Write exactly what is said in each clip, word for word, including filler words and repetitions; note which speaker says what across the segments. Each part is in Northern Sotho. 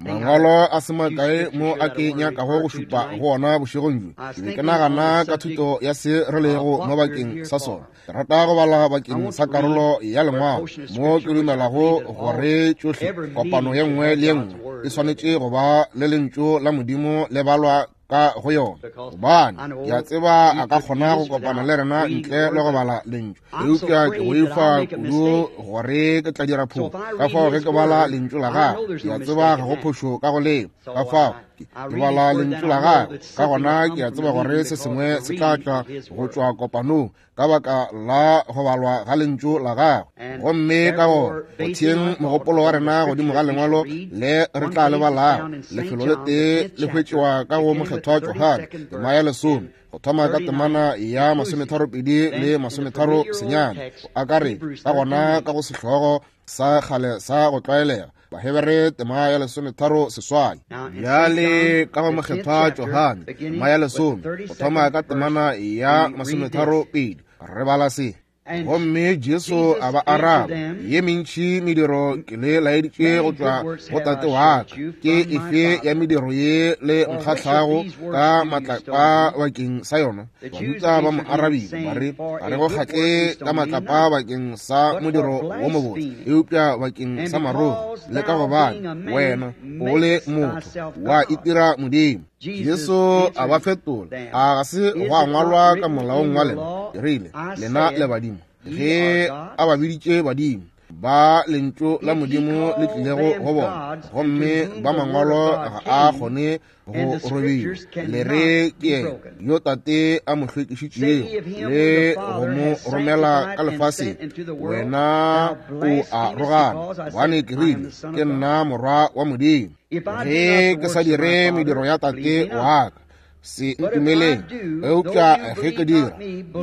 Speaker 1: Mangwalo a se makae mo a ke nyakago go šupa go ona bošegong bjo. Ke be ke nagana ka thuto ya se re lego mo bakeng sa sona. Ke rata go bala bakeng sa karolo ya lengwalo mo ke dumelago gore tšohle kopano ye nngwe le ye nngwe e swanetše go ba le lentšu la Modimo le balwa ka go yona, gobane ke a tseba a ka kgona go kopana le rena ntle le go bala lentšu, eupša ke boifa kudu gore ke tla dira phošo. Ka fao ge ke bala lentšu la gagwe, ke a tseba ga go phošo ka go leo. Ka fao ke bala lentšu la gagwe, ka gona ke a tseba gore se sengwe se tla tla go tšwa kopanong ka baka la go balwa ga lentšu la gagwe. Gomme ka gona go theeng mogopolo wa rena godimo ga lengwalo le re tla le balago, lefelo le tee le hwetšwa ka go Mokgethwa Johane tema ya lesome, go thoma ka temana ya masometharopedi le masometharo senyane, go akaretša ka gona ka go sehlogo sa kgale sa go tlwaelega, Bahebere tema ya lesometharo seswai. Bjale ka go Mokgethwa Johane tema ya lesome, go thoma ka temana ya masometharo pedi, re bala se. Gomme Jesu a ba araba, ye mentši mediro ke le laeditše go tšwa go Tate wa ka, ke efe ya mediro ye le nkgahlago ka matlapa bakeng sa yona? Bajuda ba mo arabile ba re, ga re go kgahle ka matlapa bakeng sa modiro wo mobotse, eupša bakeng sa marogo, le ka gobane wena o le motho wa itira Modimo. Jesu a ba fetola, a ga se gwa ngwalwa ka molaong wa lena, ke rile, lena le badimo? Ge a ba biditše badimo, ba lentšu la Modimo le tlilego go bona, gomme ba mangwalo ga a kgone go robiwa, le re ke yena yo Tate a mo hlwekišitšego le go mo romela ka lefaseng, wena o a rogana, gobane ke rile, ke nna Morwa wa Modimo. Ge ke sa dire mediro ya Tate wa ka, se ntumeleng, eupša ge ke dira,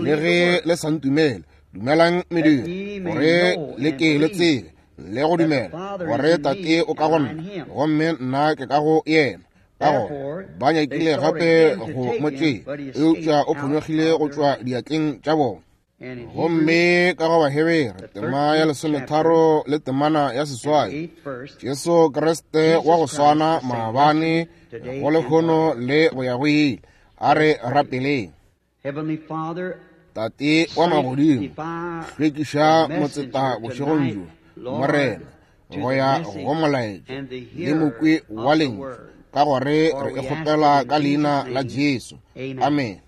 Speaker 1: le ge le sa ntumele, dumelang mediro, gore le ke le tsebe le go dumela gore Tate o ka go nna, gomme nna ke ka go yena. Ka gona ba nyakile gape go mo tšea, eupša o phonyokgile go tšwa diatleng tša bona. Gomme ka go Bahebere tema ya lesometharo le temana ya seswai, Jesu Kriste wa go swana maabane go lehono le go ya go ile. A re rapeleng. Tate wa magodimo, hlwekiša motseta bošegong bjo, Morena, go ya go molaetša le mokwi wa lentšu, ka gore re e kgopela ka leina la Jesu. Amen.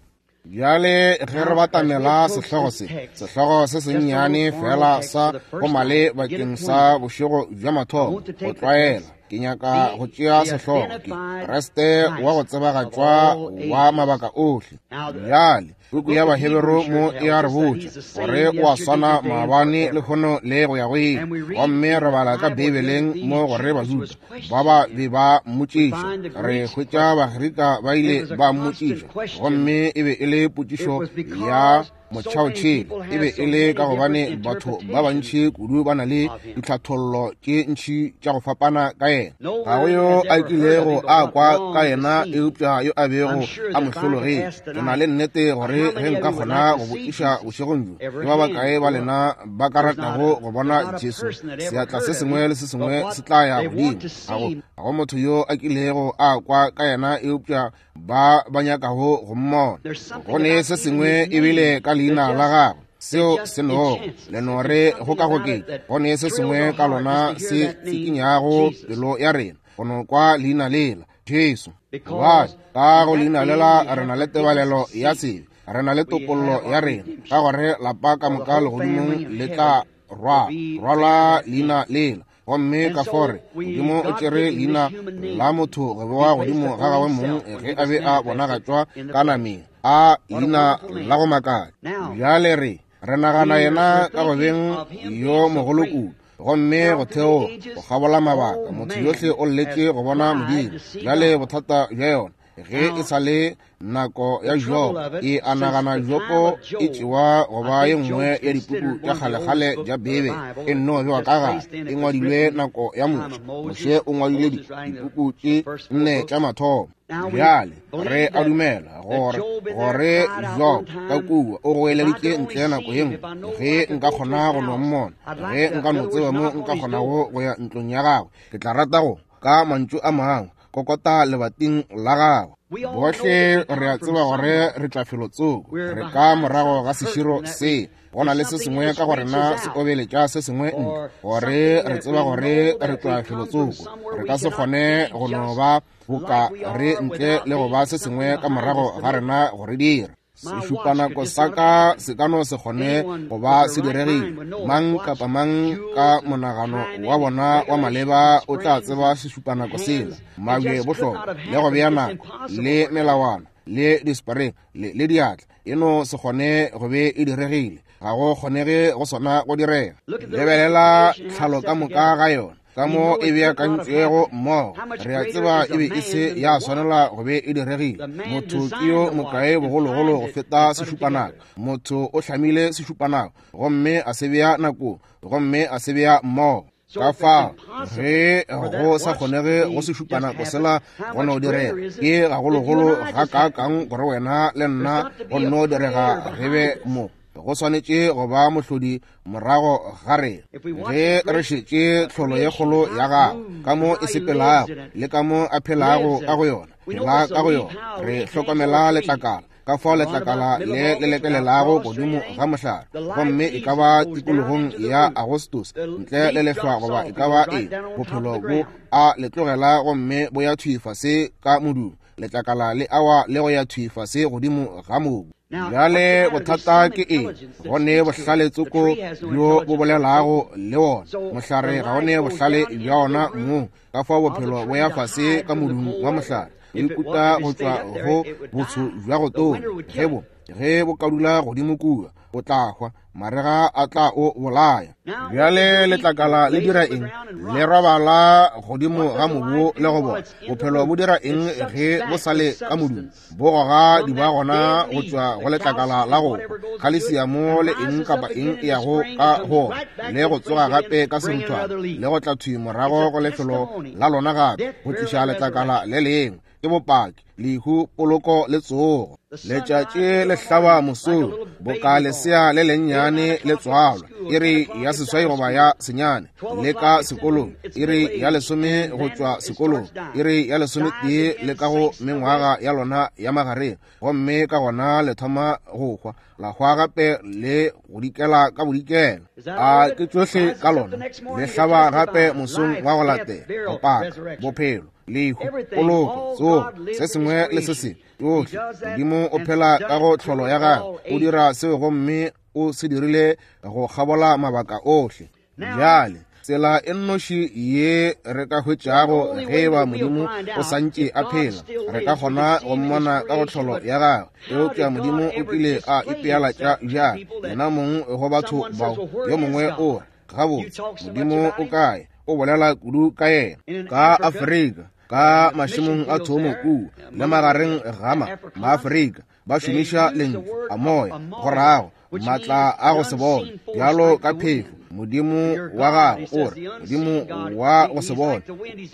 Speaker 1: Bjale ge re batamela sehlogo se, sehlogo se sennyane fela sa go male bakeng sa bošego bja mathomo, go tlwaela, ke nyaka go tšea sehlogo ke Kriste wa go tsebagatšwa wa mabaka ohle. Bjale puku ya Bahebere mo e a re botša gore o a swana maabane lehono le go ya go ile. Gomme re bala ka Beibeleng mo gore Bajuda ba ba be ba mmotšiša, re hwetša Bagerika ba ile ba mmotšiša, gomme e be e le potšišo ya motšhaotšhele. E be e le ka gobane batho ba bantši kudu ba na le ditlhathollo tše ntši tša go fapana ka yena. Ga go yo a kilego a kwa ka yena eupša yo a bego a mo hlologetše. Ke na le nnete gore ge nka kgona go botšiša bošegong bjo, ke ba bakae ba lena ba ka ratago go bona Jesu? Seatla se sengwe le se sengwe se tla ya godimo. Ga go ga go motho yo a kilego a kwa ka yena eupša ba ba nyakago go mmona. Go ne se sengwe ebile ka leina la gagwe seo se nogo le no re go ka goketša. Go ne se sengwe ka lona se tsikinyago pelo ya rena go no kwa leina lela Jesu. Gobane ka go leina lela re na le tebalelo ya sebe, re na le topollo ya rena, ka gore lapa ka moka legodimong le tla rwala rwala leina lela. Gomme ka fore Modimo o tšere leina la motho go bewa godimo ga gagwe mong ge a be a bonagatšwa ka nameng, a leina la go makatša. Bjale re re nagana yena ka go beng yo mogolo kudu, gomme go theoga go kgabola mabaka, motho yohle o lletše go bona Modimo. Bjale bothata bja yona ge e sa le nako ya Jobo, e a nagana Jobo e tšewa go ba ye nngwe ya dipuku tša kgalekgale tša Beibele, e nno bewa ka gare, e ngwadilwe nako ya Moshe. Moshe o ngwadile dipuku tše nne tša mathomo. Bjale re a dumela gore gore Job ka kua o goeleditše ntle nako ye nngwe, ge nka kgona go no mmona, ge nka no tseba mo nka kgonago go ya ntlong ya gagwe, ke tla rata go Ka mantšu a mangwe, kokota lebating la gago. Bohle re a tseba gore re tla felotsoko, re ka morago ga seširo se. Go na le se sengwe ka go rena se obeletša se sengwe ntle, gore re tseba gore re tla felotsoko. Re ka se kgone go no ba boka re ntle le go ba se sengwe ka morago ga rena go re dira. Sešupanako sa ka se ka no se kgone go ba se diregile. Mang kapa mang ka monagano wa bona wa maleba o tla tseba sešupanako sela, mabje bohlokwa, le go bea nako, le melawana, le dispareng, le, le diatla. E no se kgone go be e diregile. Ga go kgonege go sona go direga. Lebelela tlhalo ka moka ga yona, ka mo e beakantšwego mmogo. Re a tseba e be e se ya swanela go be e diregile. Motho ke yo mokae bogologolo go feta sešupanako. Motho o hlamile sešupanako gomme a se bea nakong, gomme a se bea mmogo. Ka fao ge go sa kgonege go sešupanako sela go no direga, ke gagologolo ga kaakang gore wena le nna go no direga re be mo. Go swanetše go ba mohlodi morago ga rena. Ge re šetše tlholo ye kgolo ya gagwe, ka mo e sepelago le ka mo a phelago ka go yona, phela ka go yona, re hlokomela letlakala, ka fao letlakala le le lekelelago godimo ga mohlare, gomme e ka ba tikologong ya Agostos ntle le lehlwa goba e ka ba eng, bophelo bo a le tlogela gomme bo ya thwi fase ka modung. Letlakala le awa le go ya thwi fase godimo ga mobu. Bjale bothata ke eng? Go ne bohlale tsoko bjo bo bolelago le wona. Mohlare ga o ne bohlale bja ona mong. Ka fao bophelo bo ya fase ka modung wa mohlare, bo ikuta go tšwa go botsho bja go tonya. Ge bo ge bo ka dula godimo kua, o tla hwa, marega a tla o bolaya. Bjale letlakala le dira eng? Le robala godimo ga mobu le go bona. Bophelo bo dira eng ge bo sa le ka modung? Bo goga diba gona go tšwa go letlakala la go khalesiamo le eng kapa eng e yago ka go le go tsoga gape ka seruthwane le go tla thwi morago go lefelo la lona gape go tliša letlakala le lengwe. Ke bopaki, lehu, poloko le tsogo. Letšatši le hlaba mosong boka lesea le lennyane le tswalwa, iri ya seswai goba ya senyane, le ka sekolong, iri ya lesome go tšwa sekolong, iri ya lesometee le ka go mengwaga ya lona ya magareng, gomme ka gona le thoma go hwa, la hwa gape le go dikela ka bodikela. A ke tšohle ka lona. Le hlaba gape mosong wa go latela, go paka bophelo, lehu, poloko, tsogo, se sengwe le se sengwe. Tšohle. Modimo o phela ka go tlholo ya gagwe, o dira seo gomme o se dirile go kgabola mabaka ohle. Bjale tsela e nnoši ye re ka hwetšago ge eba Modimo o santše a phela, re ka kgona go mmona ka go tlholo ya gagwe. Eupša Modimo o kile a ipealatša bjang yena mong go batho bao? Yo mongwe o re, gabotse, Modimo o kae? O bolela kudu ka yena. Ka Afrika, ka mašemong a thomo kua le magareng ga ma Maafrika, ba šomiša lentšu a moya go rago maatla a go se bone, bjalo ka phefo. Modimo wa gago o re, Modimo wa go se bone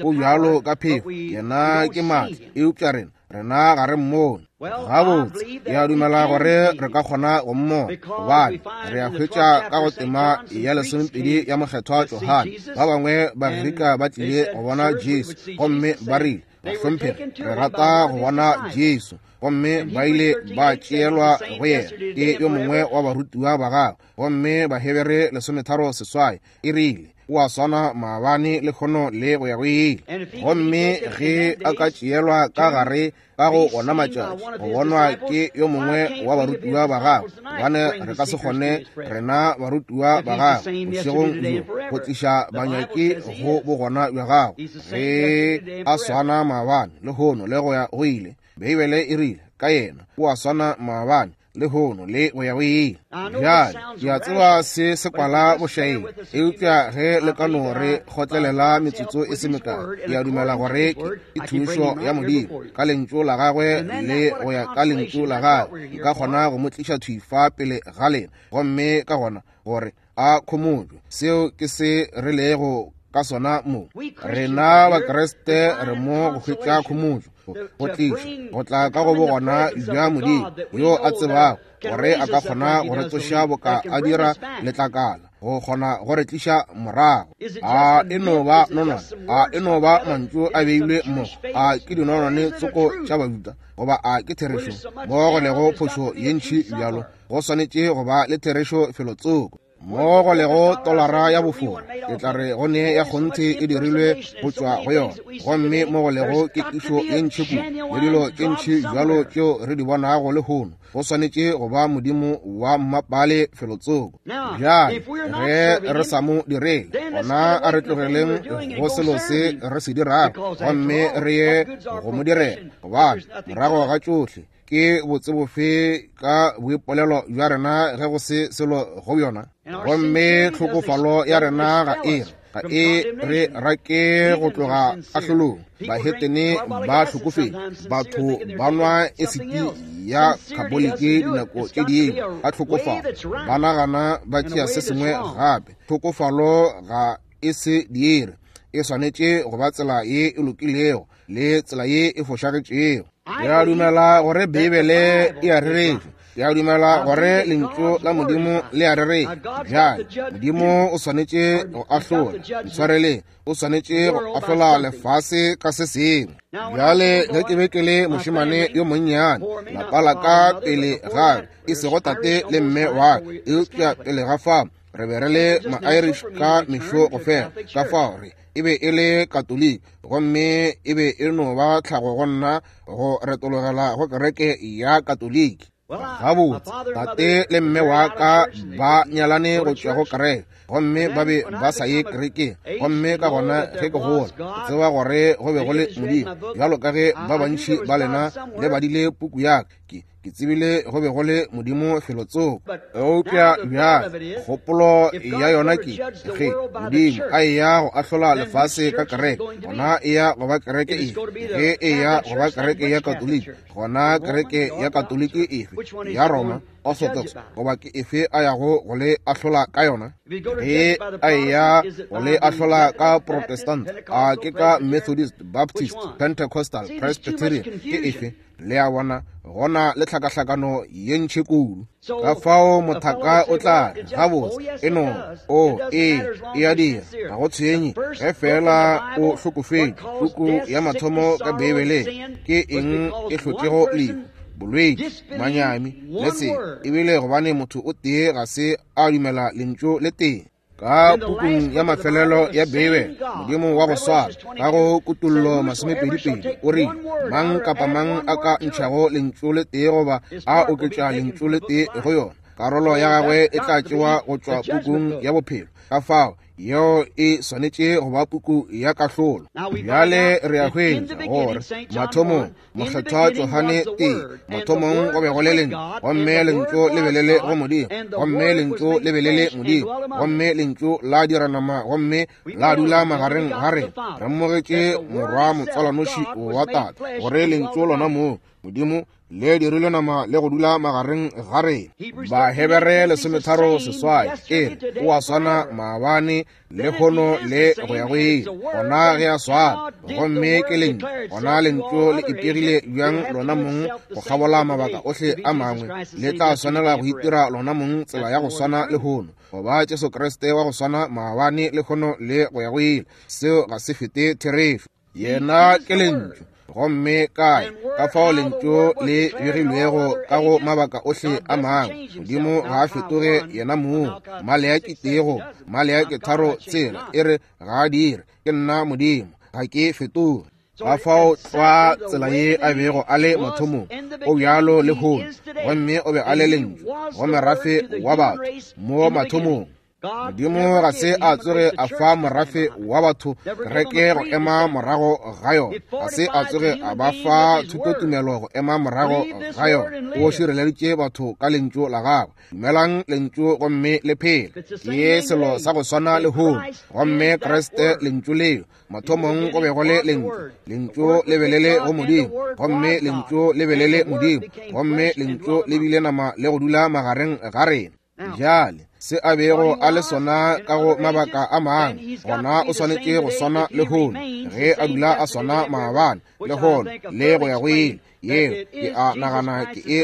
Speaker 1: o bjalo ka phefo, yena ke maatla, eupša rena rena ga re mmone. Gabotse, ke a dumela gore re ka kgona go mmona, gobane re a hwetša ka go tema ya lesomepedi ya mokgethwa Johane. Ba bangwe Bagerika ba tlile go bona Jesu, gomme ba rile, bahlomphegi, re rata go bona Jesu. Gomme ba ile ba tšeelwa go yena ke yo mongwe wa barutiwa ba gagwe. Gomme Bahebere lesometharo seswai e rile, o a swana maabane le kgono le go ya go ile. Gomme ge a ka tšeelwa ka gare ka go ona matšatši go bonwa ke yo mongwe wa barutiwa ba gagwe, gobane re ka se kgone rena barutiwa ba gagwe bošegong bjo go tliša banyaki go bogona bja gagwe ge a swana maabane le kgono le go ya go ile. Beibele e rile ka yena, o a swana maabane le hono le go ya go ile. Bjale ke a tseba se se kwala bošaedi, eupša ge le ka no re kgotlelela metsotso e se mekae, ke a dumela gore ke thušo ya Modimo ka lentšu la gagwe le go ya ka lentšu la gagwe nka kgona go mo tliša thwi fa pele ga lena, gomme ka gona gore a khomotšwe. Seo ke se re lego ka sona mo. Rena Bakriste re mo go hwetša khomotšo. go tliša go tla ka go bogona bja Modimo yo a tsebago gore a ka kgona go re tsoša boka a dira letlakala, go kgona go re tliša morago. A e no ba nonwane? A e no ba mantšu a beilwe mo? A ke dinonwane tsoko tša Bajuda, goba a ke therešo? Mo go lego phošo ye ntši bjalo, go swanetše go ba le therešo felo tsoko. Mo go lego tolara ya bofora, ke tla re go ne ya kgonthe e dirilwe go tšwa go yona. Gomme mo go lego kekišo ye ntši kudu le dilo tše ntši bjalo tšeo re di bonago lehono, go swanetše go ba Modimo wa mmapale felo tsoko. Bjale ge re sa mo direle, gona a re tlogeleng go selo se re se dirago gomme re ye go mo direla, gobane morago ga tšohle ke botsebofe ka boipolelo bja rena ge go se selo go bjona. Gomme tlhokofalo ya rena ga e ga e re rake go tloga kahlolong. Bahetene ba hlokofetše, batho ba nwa esiti ya khaboliki dinako tše dingwe ka tlhokofalo, ba nagana ba tšea se sengwe gape. Tlhokofalo ga e se dire, e swanetše go ba tsela ye e lokilego le tsela ye e fošagetšego. Ke a dumela gore Beibele e a rereša. Ke a dumela gore lentšu la Modimo le a rereša. Bjale Modimo o swanetše go ahlola, ntshwareleng, o swanetše go ahlola lefase ka se sengwe. Bjale ge ke be ke le mošemane yo monnyane, lapa la ka pele ga e sego tate le mme wa ka, eupša pele ga fao re be re le ma-Irish ka mešo go fela. Ka fao re e be e le Katoliki, gomme e be e no ba tlhago go nna go retologela go kereke ya Katoliki. Gabotse, tate le mme wa ka ba nyalane go tšwa go kereke, gomme ba be ba sa ye kerekeng. Gomme ka gona ge ke gola, ke tseba gore go be go le Modimo, bjalo ka ge ba bantši ba lena le badile puku ya ka, ke ke tsebile go be go le Modimo felo tsoko. Eupša bjale kgopolo ya yona ke ge Modimo a eya go ahlola lefase ka kereke, gona e ya go ba kereke efe? Ge e ya go ba kereke ya Katoliki, gona kereke ya Katoliki efe? Ya Roma, Orthodox, goba ke efe a yago go le ahlola ka yona? Ge a eya go le ahlola ka Protestant, a ke ka Methodist, Baptist, Pentecostal, Presbyterian, ke efe? Le a bona, gona le tlhakahlakano ye ntši kudu. Ka fao mothaka o tla re, gabotse, e no, o, ee, e a dira, ga go tshwenye ge fela o hlokofetše. Puku ya mathomo ka Beibeleng ke eng e hlotšego lehu, bolwetši, manyami le se, ebile gobane motho o tee ga se a dumela lentšu le tee. Ka pukung ya mafelelo ya Beibele, Modimo wa go swana ka go Kutollo masomepedi-pedi o rile, mang kapa mang a ka ntšhago lentšu le tee goba a oketša lentšu le tee go yona, karolo ya gagwe e tla tšewa go tšwa pukung ya bophelo. Ka fao yeo e swanetše go ba puku ya kahlolo. Bjale re a hwetša gore mathomong mokgethwa Johane tee, mathomong go be go le lentšu, gomme lentšu le be le le go Modimo, gomme lentšu le be le le Modimo, gomme lentšu la dira nama gomme la dula magareng ga rena. Re mmogetše morwa motswalanoši wa Tate, gore lentšu lona moo Modimo le dirilwe nama le go dula magareng ga rena. Bahebere lesometharo seswai e re o a swana maabane lehono le go ya go ile. Gona ge a swana, gomme ke lentšu, gona lentšu le ipegile bjang lona mong go kgabola mabaka ohle a mangwe, le tla swanela go itira lona mong tsela ya go swana lehono, goba Jesu Kriste wa go swana maabane lehono le go ya go ile. Seo ga se fete therešo. Yena ke lentšu. Gomme kae ka fao lentšu le begilwego ka go mabaka ohle a mangwe, Modimo ga a fetoge yena mong. Maleaki tee Maleaki tharo tsela e re ga a dire, ke nna Modimo, ga ke fetoge. Ka fao tlwa tsela ye a bego a le mathomong, o bjalo lehono, gomme o be a le lentšu go merafe wa batho mo mathomong. Modimo ga se a tsoge a fa morafe wa batho kereke go ema morago ga yona, ga se a tsoge a ba fa thutotumelo go ema morago ga yona. O šireleditše batho ka lentšu la gagwe. Dumelang lentšu gomme le phele. Ke selo sa go swana lehono, gomme Kriste lentšu leo. Mathomong go be go le lentšu, lentšu le be le le go Modimo, gomme lentšu le be le le Modimo, gomme lentšu le bile nama le go dula magareng ga rena. Bjale Se a bego a le sona ka go mabaka a mangwe, gona o swanetše go swana lehono, ge a dula a swana maabane, lehono le go ya go ile. Yeo ke a nagana ke e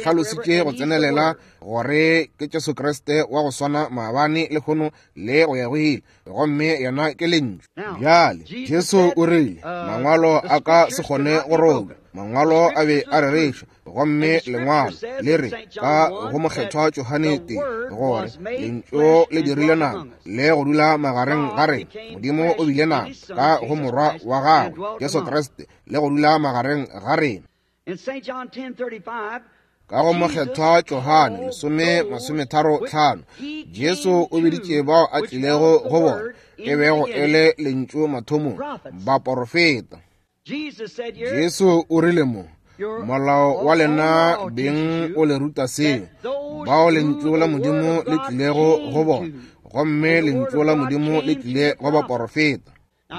Speaker 1: hlalositše go tsenelela gore ke Jesu Kriste wa go swana maabane, lehono le go ya go ile, gomme yena ke Lentšu. Bjale Jesu o rile mangwalo a ka se kgone go robja, mangwalo a be a rereša, gomme lengwalo le re ka go mokgethwa Johane tee gore Lentšu le dirile nama le go dula magareng ga rena. Modimo o bile nama ka go morwa wa gagwe Jesu Kriste le go dula magareng ga rena. Ka go mokgethwa Johane lesome masometharo tlhano, Jesu o biditše bao a tlilego go bona, e bego e le Lentšu mathomong, baporofeta. Jesu o rile mo, molao wa lena beng o le ruta seo, bao Lentšu la Modimo le tlilego go bona, gomme Lentšu la Modimo le tlile go baporofeta.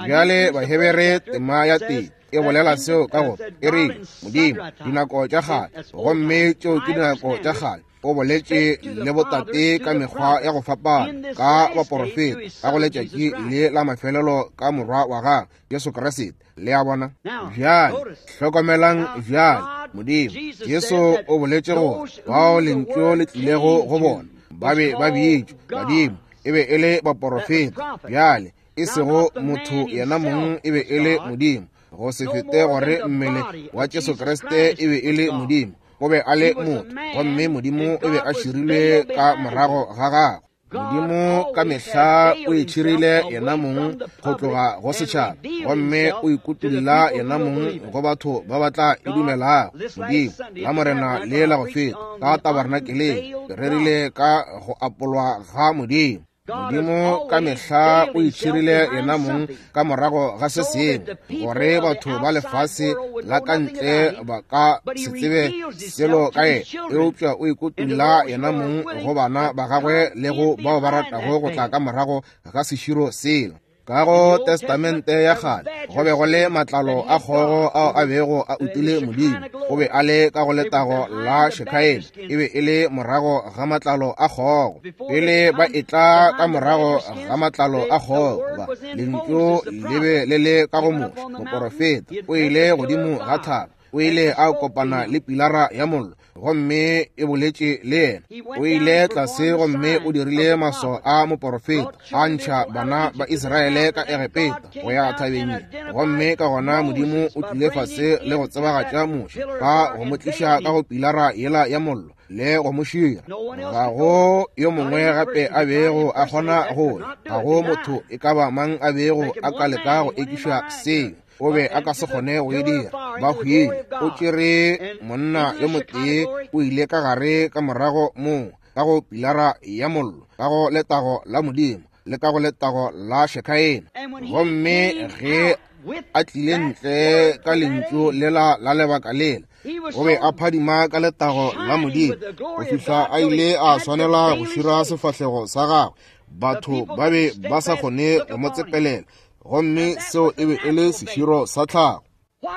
Speaker 1: Bjale Bahebere tema ya tee e bolela seo ka gore e rile Modimo dinako tša kgale, gomme tšeo ke dinako tša kgale, o boletše le botate ka mekgwa ya go fapana ka baporofeta ka go letšatši le la mafelelo ka morwa wa gagwe Jesu Kriste. Le a bona? Bjale hlokomelang bjale, Modimo Jesu o boletše gore bao Lentšu le tlilego go bona ba be ba bitšwa badimo, e be e le baporofeta. Bjale e sego motho yena mong, e be e le Modimo, go se fete gore mmele wa Jesu Kriste e be e le Modimo, o be a le motho, gomme Modimo o be a širilwe ka morago ga gagwe. Modimo ka mehla o itšhirile yena mong go tloga go setšhaba, gomme o ikutulla yena mong go batho ba ba tla e dumelago. Modimo la Morena le la go feta ka tabernakeleng, ke rerile ka go apolwa ga Modimo. Modimo ka mehla o itšhirile yena mong ka morago ga se sengwe, gore batho ba lefase la ka ntle ba ka se tsebe selo ka yena, eupša o ikutulla yena mong go bana ba gagwe le go bao ba ratago go tla ka morago ga seširo sela. Ka go Testamente ya kgale go be go le matlalo a kgogo ao a bego a utile Modimo, o be a le ka go letago la Shekaena, e be e le morago ga matlalo a kgogo. Pele ba etla ka morago ga matlalo a kgogo, ba Lentšu le be le le ka go Moshe moporofeta, o ile godimo ga thaba, o ile a kopana le pilara ya mollo, gomme e boletše le yena. O ile tlase gomme o dirile maswao a moporofeta, a ntšha bana ba Israele ka Egepeta go ya thabeng ye. Gomme ka gona Modimo o tlile fase le go tsebagatša Moshe ka go mo tliša ka go pilara yela ya mollo le go mo šira. Ga go yo mongwe gape a bego a kgona go ya, ga go motho e ka ba mang a bego a ka leka go ekiša seo, o be a ka se kgone go e dira. Ba hwile. O tšere monna yo motee, o ile ka gare ka morago moo ka go pilara ya mollo, ka go letago la Modimo le ka go letago la Shekaena. Gomme ge a tlile ntle ka Lentšu lela la lebaka lela, o be a phadima ka letago la Modimo go fihla a ile a swanela go šira sefahlego sa gagwe. Batho ba be ba sa kgone go mo tsepelela, gomme seo e be e le seširo sa tlhago.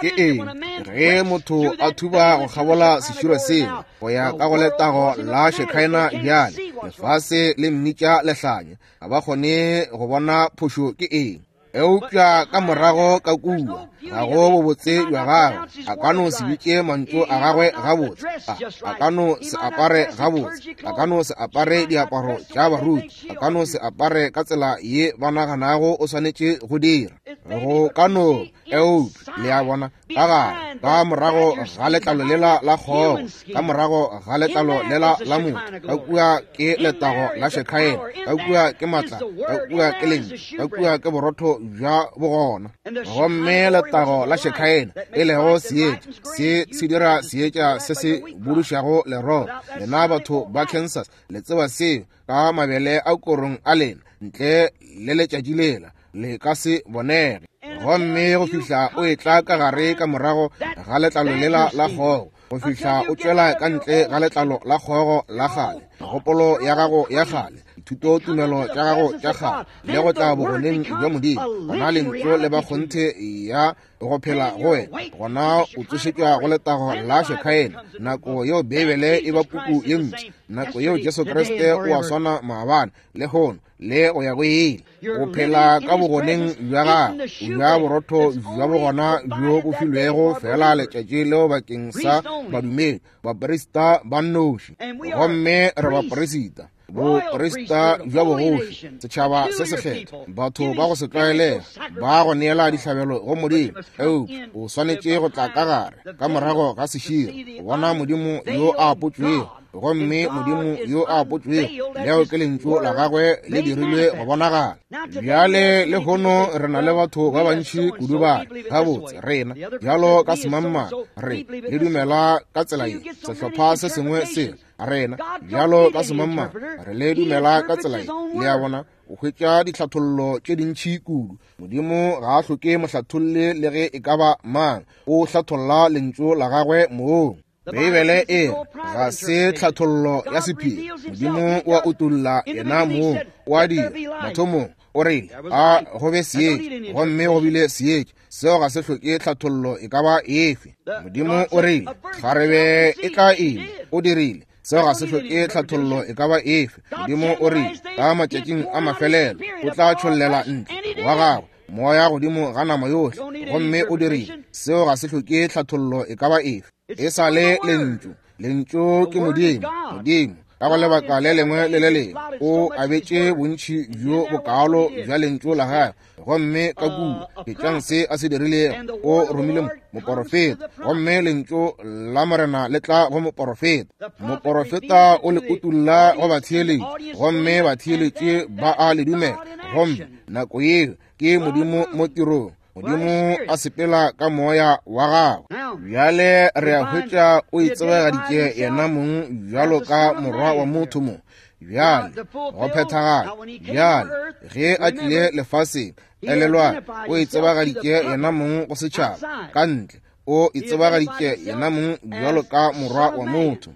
Speaker 1: Ke eng ge motho a thuba go kgabola seširo sela go ya ka go letago la Shekaena? Bjale lefase le mmitša lehlanya, ga ba kgone go bona phošo ke eng. Eupša ka morago ka kua ga go bobotse bja gagwe, a ka no se bitše mantšu a gagwe gabotse, a ka no se apare gabotse, a ka no se apare diaparo tša baruti, a ka no se apare ka tsela ye ba naganago o swanetše go dira, go ka no. Eupša le a bona, ka gare ka morago ga letlalo lela la kgogo, ka morago ga letlalo lela la motho, ka kua ke letago la Shekaena, ka kua ke matla, ka kua ke Lentšu, ka kua ke borotho bja bogona. Gomme letago la Shekaena e lego seetša se se dira seetša se se budušago leroro. Lena batho ba Kansas le tseba seo ka mabele a korong a lena, ntle le letšatši lela le ka se bonege. Gomme go fihla o etla ka gare ka morago ga letlalo lela la kgogo, go fihla o tšwela ka ntle ga letlalo la kgogo la kgale, megopolo ya gago ya kgale, dithutotumelo tša gago tša kgale le go tla bogoneng bja Modimo, gona lentšu le ba kgonthe ya go phela go wena, gona o tsošetšwa go letago la Shekhaena. Nako yeo Beibele e ba puku ye ntši, nako yeo Jesu Kriste o a swana maabane, lehono le go ya go ile. O phela ka bogoneng bja gagwe, o ja borotho bja bogona bjo bo filwego fela letšatši leo bakeng sa badumedi, baprista ba nnoši. Gomme re baprista, boprista bja bogoši, setšhaba se sekgethwa, batho ba go se tlwaelega, ba go neela dihlabelo go Modimo. Eupša o swanetše go tla ka gare ka morago ga seširo go bona Modimo yo a apotšwego. Gomme Modimo yo a apotšwego, leo ke lentšu la gagwe le dirilwe go bonagala. Bjale lehono re na le batho ba bantši kudu ba gabotse rena bjalo ka semangmang re le dumela ka tsela ye, sehlopha se sengwe se rena bjalo ka semangmang re le dumela ka tsela ye. Le a bona, o hwetša ditlhathollo tše dintši kudu. Modimo ga a hloke mohlatholle le ge e ka ba mang, o hlatholla lentšu la gagwe mong. Beibele e ga se tlhathollo ya sephiri. Modimo o a utolla yena mong, o a dira. Mathomong o rile a go be seetša, gomme go bile seetša. Seo ga se hloke tlhathollo e ka ba efe. Modimo o rile kgarebe e tla ima, o dirile. Seo ga se hloke tlhathollo e ka ba efe. Modimo o rile ka matšatšing a mafelelo o tla tšhollela ntle wa gagwe moya godimo ga nama yohle, gomme o dirile. Seo ga se hloke tlhathollo e ka ba efe. E sa le lentšu. Lentšu ke Modimo. Modimo ka go lebaka le lengwe le le lengwe o abetše bontši bjo bokaalo bja lentšu la gagwe, gomme ka kua ketšang se a se dirilego. O romile moporofeta, gomme lentšu la Morena le tla go moporofeta. Moporofeta o le utulla go batheeletši, gomme batheeletši ba a le dumela. Gomme nako yeo ke Modimo mo tirong, Modimo a sepela ka moya wa gagwe. Bjale re a hwetša o itsebagaditše yena mong bjalo ka morwa wa motho mo. Bjale go phethagala. Bjale ge a tlile lefaseng, elelwa, o itsebagaditše yena mong go setšhaba ka ntle. O itsebagaditše yena mong bjalo ka morwa wa motho.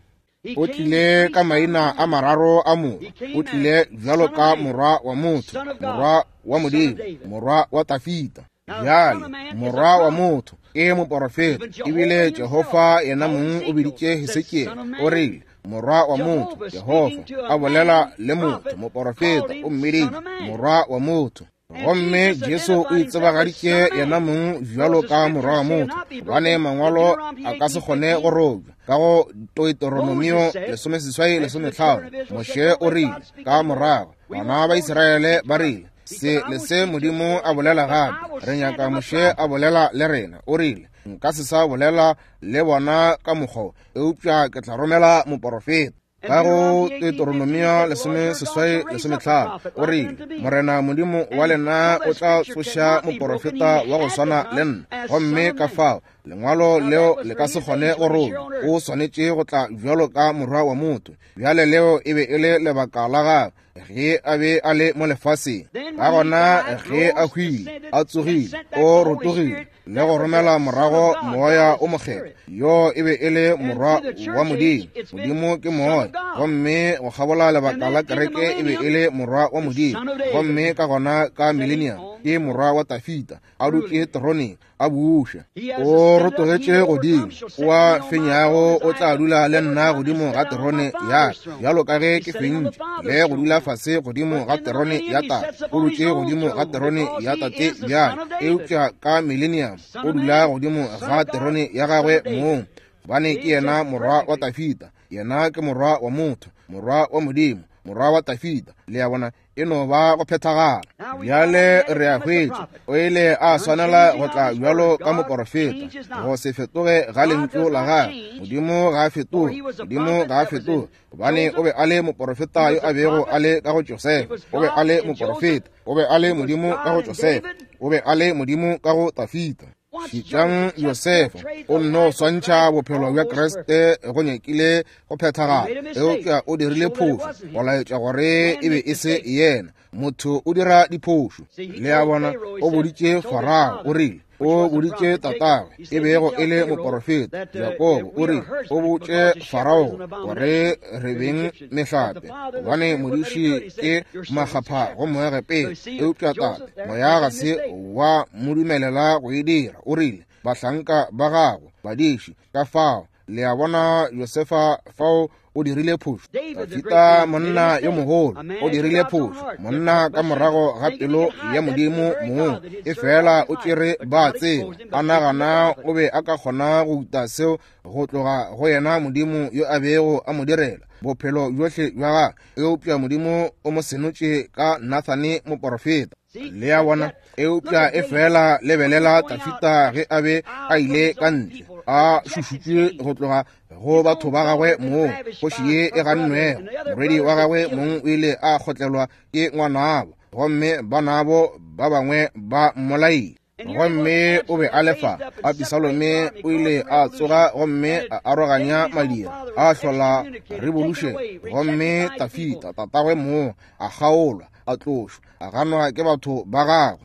Speaker 1: O tlile ka maina a mararo a morwa. O tlile bjalo ka morwa wa motho, morwa wa Modimo, morwa wa Tafita. Bjale morwa wa motho ke moporofeta, ebile Jehofa yena mong o biditše Hesekiele, o rile morwa wa motho. Jehofa a bolela le motho, moporofeta, o mmiditše morwa wa motho. Gomme Jesu o itsebagaditše yena mong bjalo ka morwa wa motho, gobane mangwalo a ka se kgone go robja. Ka go Deuteronomio lesomeseswai lesometlhano, Moshe o rile ka morago, bana ba Israele ba rile se le se Modimo a bolela gape, re nyaka Moshe a bolela le rena. O rile nka se sa bolela le bona ka mokgwa, eupša ke tla romela moporofeta. Ka go Deuteronomio lesomeseswai lesometlhano, o rile Morena Modimo wa lena o tla tsoša moporofeta wa go swana le nna, gomme ka fao lengwalo leo le ka se kgone go robja. O swanetše go tla bjalo ka morwa wa motho. Bjale leo e be e le lebaka la gagwe ge a be a le mo lefaseng. Ka gona ge a hwile, a tsogile, o rotogile le go romela morago moya o mokgethwa. Yo e be e le morwa wa Modimo. Modimo ke moya, gomme go kgabola lebaka la kereke e be e le morwa wa Modimo. Gomme ka gona ka millennium ke morwa wa Tafita, a dutše teroneng a buša. O rotogetše godimo, o a fenyago o tla dula le nna godimo ga terone ya ka, bjalo ka ge ke fentše le go dula fase godimo ga terone ya tate. O dutše godimo ga terone ya tate bjale, eupša ka millennium o dula godimo ga terone ya gagwe mong, gobane ke yena morwa wa Tafita. Yena ke morwa wa motho, morwa wa Modimo, morwa wa Tafita. Le a bona, e no ba go phethagala. Bjale re a hwetša o ile a swanela go tla bjalo ka moporofeta, go se fetoge ga lentšu la gagwe. Modimo ga a fetoge, Modimo ga a fetoge, gobane o be a le moporofeta yo a bego a le ka go Josefa. O be a le moporofeta, o be a le Modimo ka go Josefa, o be a le Modimo ka go Tafita. Šetšang Josefa, o nno swantšha bophelo bja Kriste go nyakile go phethagala, eupša o dirile phošo go laetša gore e be e se yena. Motho o dira diphošo. Le a bona, o boditše Farao, o rile O boditše tatagwe, e bego e le moporofeta, Jakobo, o rile, o botše Farao gore re beng mehlape, gobane modiši ke makgapha go Moegepeta. Eupša tate, moya ga se wa mo dumelela go e dira. O rile, bahlanka ba gago, badiši, ka fao. Le a bona, Josefa fao o dirile phošo. Dafida, monna yo mogolo, o dirile phošo. Monna ka morago ga pelo ya Modimo mong, e fela o tšere ba tseba, a nagana o be a ka kgona go uta seo go tloga go yena Modimo yo a bego a mo direla bophelo bjohle bja gagwe. Eupša Modimo o mo senotše ka Nathane moporofeta. Le a bona? Eupša e fela lebelela Dafida ge a be a ile ka ntle, a šušutšwe go tloga go batho ba gagwe mong, kgoši ye e gannwego. Morwedi wa gagwe mong o ile a kgotlelwa ke ngwanabo, gomme banabo ba bangwe ba mmolaile. Gomme o be a le fa. Abisalome o ile a tsoga gomme a aroganya madira, a hlola revolution. Gomme Dafida tatagwe mong a kgaolwa, a tlošwa, a ganwa ke batho ba gagwe.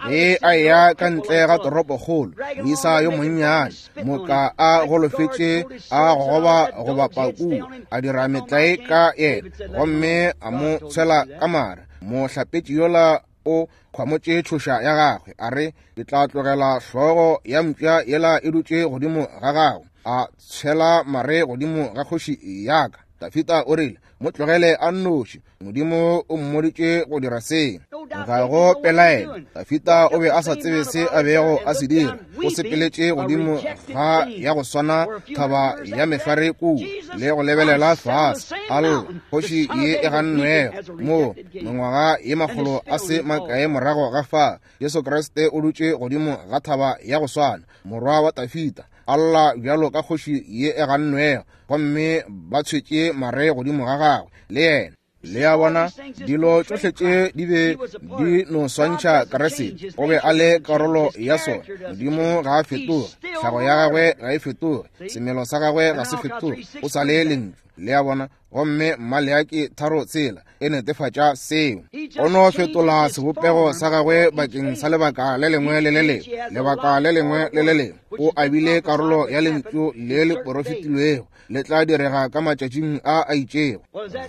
Speaker 1: Ge a eya ka ntle ga toropokgolo, moisa yo monnyane, moka a golofetše, a gogoba go bapa kua, a dira metlae ka yena, gomme a mo tshwela ka mare. Mohlapetši yola o khwamotše tšhoša ya gagwe, a re, ke tla tlogela hlogo ya mpša yela e dutše godimo ga gago. A tshwela mare godimo ga kgoši ya ka. Dafida o rile, mo tlogele a nnoši, Modimo o mmoditše go dira seo. Ga go pelaelo, Dafida o be a sa tsebe se a bego a se dira. O sepeletše godimo ga ya go swana thaba ya mehlware kua, le go lebelela fase, a lla, kgoši ye e gannwego. Mo mengwaga ye makgolo a se makae morago ga fa, Jesu Kriste o dutše godimo ga thaba ya go swana, morwa wa Dafida, a lla bjalo ka kgoši ye e gannwego, gomme ba tshwetše mare godimo ga gagwe le yena. Le a bona, dilo tšohle tše di be di no swantšha Kriste. O be a le karolo ya sona. Modimo ga a fetoge, tlhago ya gagwe ga e fetoge, semelo sa gagwe ga se fetoge, o sa le lentšu. Le a bona? Gomme Maleaki tharo tsela e netefatša seo. O no fetola sebopego sa gagwe bakeng sa lebaka le lengwe le le lengwe, lebaka le lengwe le le lengwe. O abile karolo ya lentšu le le porofetilwego le tla direga ka matšatšing a a itšego.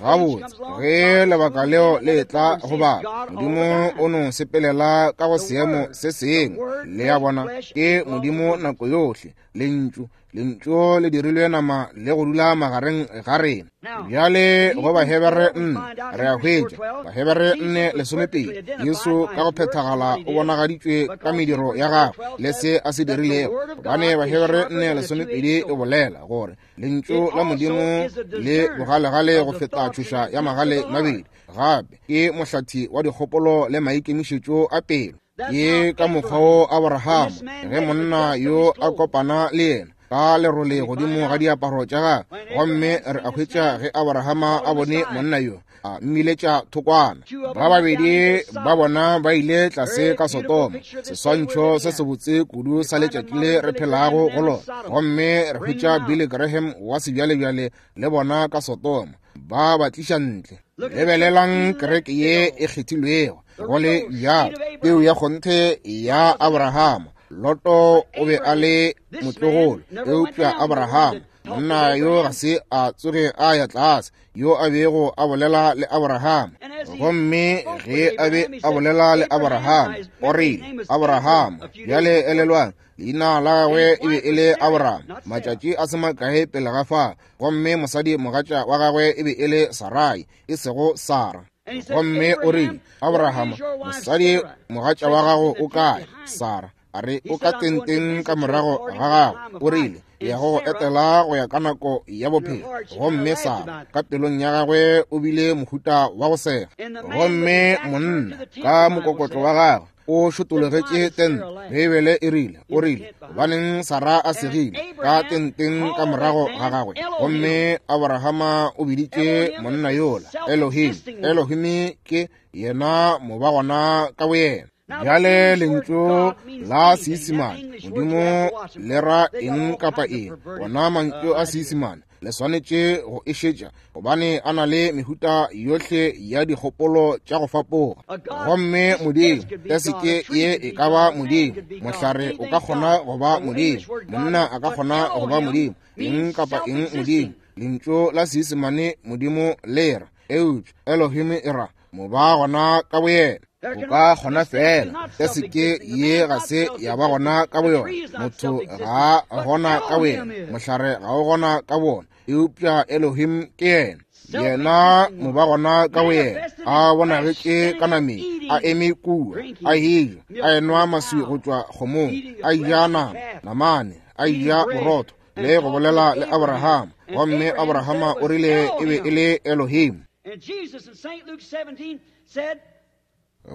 Speaker 1: Gabotse, ge lebaka leo le tla go bala, Modimo o no sepelela ka go seemo se sengwe. Le a bona, ke Modimo nako yohle, lentšu. Lentšu le dirilwe nama le go dula magareng ga rena. Bjale go Bahebere nne re a hwetša, Bahebere nne lesomepedi, Jesu ka go phethagala o bonagaditšwe ka mediro ya gagwe le se a se dirilego. Gobane Bahebere nne lesomepedi e bolela gore lentšu la Modimo le bogalegale go feta tšhoša ya magale mabedi, gape ke mohlathi wa dikgopolo le maikemišetšo a pelo. Ke ka mokgwa wo Abrahama, ge monna yo a kopana le yena ka lerole godimo ga diaparo tša gagwe, gomme re a hwetša ge Abrahama a bone monna yo, a mmiletša thokwana. Ba babedi ba bona ba ile tlase ka Sodoma, seswantšho se sebotse kudu sa letšatši le re phelago go lona. Gomme re hwetša Billy Graham wa sebjalebjale le bona ka Sodoma, ba ba tliša ntle. Lebelelang kereke ye e kgethilwego, go le bjalo, peu ya kgonthe ya Abrahama. Loto o be a le motlogolo, eupša Abrahama, monna yo ga se a tsoge a ya tlase, yo a bego a bolela le Abrahama. Gomme ge a be a bolela le Abrahama, o rile, Abrahama, bjale elelwang, leina la gagwe e be e le Abraham, matšatši a se makae pele ga fa, gomme mosadi mogatša wa gagwe e be e le Sarai, e sego Sara. Gomme o rile, Abrahama, mosadi mogatša wa gago o kae? Sara a re, o ka tenteng ka morago ga gago. O rile, ya go etela go ya ka nako ya bophelo. Gomme Sara ka pelong ya gagwe o bile mohuta wa go sega. Gomme monna ka mokokotlo wa gagwe o šotologetše tente. Beibele e rile, o rile, gobaneng Sara a segile ka tenteng ka morago ga gagwe? Gomme Abrahama o biditše monna yola Elohim. Elohim ke yena mobagona ka boyena. Bjale lentšu la Seisemane Modimo le ra eng kapa eng, ona mantšu a Seisemane le swanetše go e šetša gobane a na le mehuta yohle ya dikgopolo tša go fapoga. Gomme Modimo teseke ye e ka ba Modimo, mohlare o ka kgona go ba Modimo, monna a ka kgona go ba Modimo, eng kapa eng Modimo. Lentšu la Seisemane Modimo le ra, eupša Elohim e ra moba gona ka boyena. O ka kgona fela teseke ye ga se ya ba gona ka boyona, motho ga a gona ka boyena, mohlare ga o gona ka bona, eupša Elohim ke yena. Yena moba gona ka boyena, a bonagetše ka nameng, a eme kua, a eja, a enwa maswi go tšwa kgomong, a ja nama, namane, a ja borotho, le go bolela le Abraham. Gomme Abrahama o rile e be e le Elohim.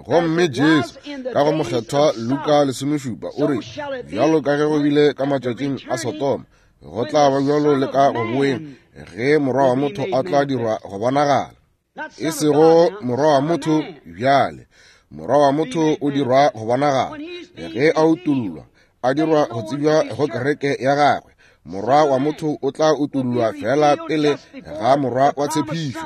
Speaker 2: Gomme Jesu ka go mokgethwa Luka lesomešupa o re, bjalo ka ge go bile ka matšatšing a Sodoma, go tla ba bjalo le ka go boeng ge morwa wa motho a tla dirwa go bonagala. E sego morwa wa motho bjale, morwa wa motho o dirwa go bonagala ge a utollwa, a dirwa go tsebja go kereke ya gagwe. Morwa wa motho o tla utollwa fela pele ga morwa wa tshepišo.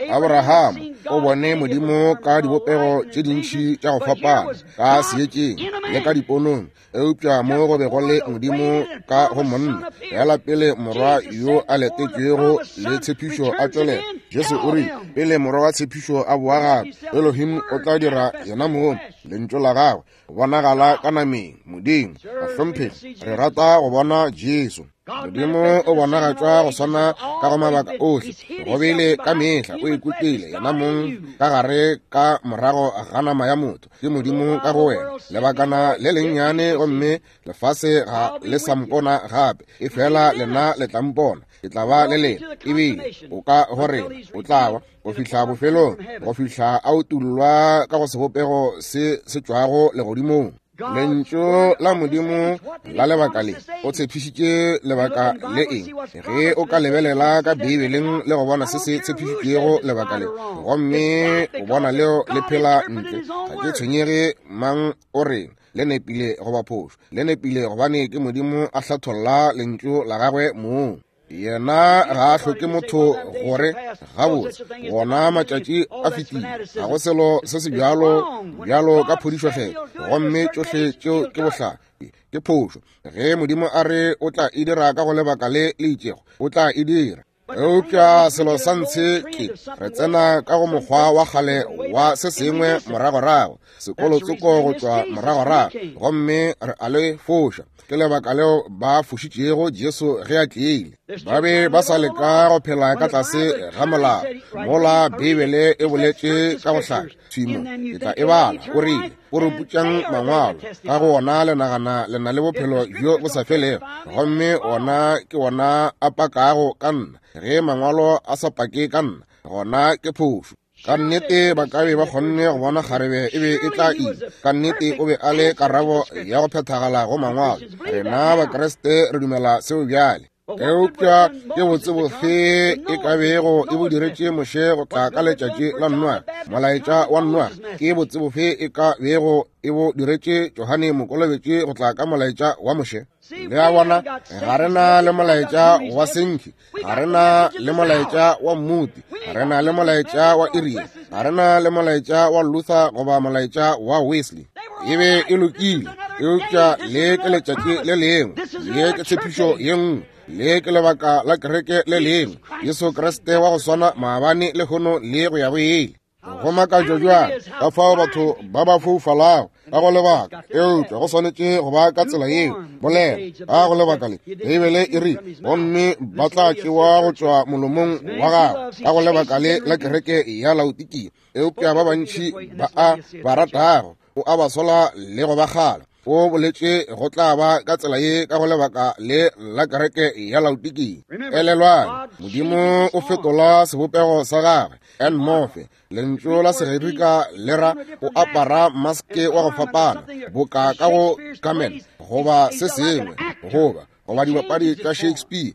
Speaker 2: Abraham o bone Modimo ka dibopego tše dintši tša go fapana, ka seetšeng le ka diponong, eupša mo go be go le Modimo ka go monna fela pele morwa yo a letetšwego le tshepišo a tšwelela. Jesu o rile pele morwa wa tshepišo a boa gape, Elohim o tla dira yena mong lentšu la gagwe bonagala ka nameng. Modimo bahlomphegi, re rata go bona Jesu. Modimo o bonagatšwa go swana ka go mabaka ohle, go bile ka mehla o ikutlwile yena mong ka gare ka morago ga nama ya motho. Ke Modimo ka go wena lebakana le lennyane, gomme lefase ga le sa mpona gape, e fela lena le tla mpona, ke tla ba le lena, ebile o ka go rena o tla ba go fihla bofelong, go fihla a utollwa ka go sebopego se se tšwago legodimong. Lentšu la Modimo la lebaka le o tshepišitše lebaka le eng? Ge o ka lebelela ka Beibeleng le go bona se se tshepišitšego lebaka le, gomme o bona leo le phela ntle, ga ke tshwenyege mang o reng, le nepile goba phošo, le nepile gobane ke Modimo a hlatholla lentšu la gagwe mong. Yena ga a hloke motho gore gabotse gona matšatši a fetile, ga go selo se se bjalo bjalo ka phodišo kgetho, gomme tšohle tšeo ke bohlale, ke phošo. Ge Modimo a re o tla e dira ka go lebaka le le itšego, o tla e dira. Eupša selo sa ntshe ke re tsena ka go mokgwa wa kgale wa se sengwe moragorago, sekolotsoko go tšwa moragorago, gomme re a le foša. Ke lebaka leo ba fošitšego Jesu ge a tlile. Ba be ba sa leka go phela ka tlase ga molao, mola Beibele e boletše ka go hlaka thimo, ke tla e bala. O rile, o re putšang mangwalo, ka go ona le nagana le na le bophelo bjo bo sa felego, gomme ona ke ona a pakago ka nna. Ge mangwalo a sa pake ka nna, gona ke phošo. Ka nnete ba ka be ba kgonne go bona kgarebe e be e tla ima. Ka nnete o be a le karabo ya go phethagala go mangwalo. Rena Bakriste re dumela seo bjale. Eupša ke botse bofe e ka bego e bo diretše Moshe go tla ka letšatši la Noa, molaetša wa Noa? Ke botse bofe e ka bego e bo diretše Johane Mokolobetši go tla ka molaetša wa Moshe? Le a bona, ga re na le molaetša wa Senki, ga re na le molaetša wa Mmuti, ga re na le molaetša wa Iria, ga re na le molaetša wa Luther goba molaetša wa Wesley. E be e lokile, eupša le ke letšatši le lengwe, le ke tshepišo ye nngwe, le ke lebaka la kereke le lengwe. Jesu Kriste wa go swana maabane lehono le go ya go ile. Go makatša bjang ka fao batho ba ba foufalago ka go lebaka, eupša go swanetše go ba ka tsela yeo. Bolela ka go lebaka le, Beibele e rile, gomme ba tla tšewa go tšwa molomong wa gago ka go lebaka le la kereke ya Laodikia. Eupša ba bantši ba a ba ratago o a ba sola le go ba kgala. O boletše go tla ba ka tsela ye ka go lebaka le la kereke ya Laodikia. Elelwang, Modimo o fetola sebopego sa gagwe. En morphe, lentšu la Segerika le ra o apara maske wa go fapana, boka ka go Carmen goba se sengwe, goba goba dibapadi tša Shakespeare.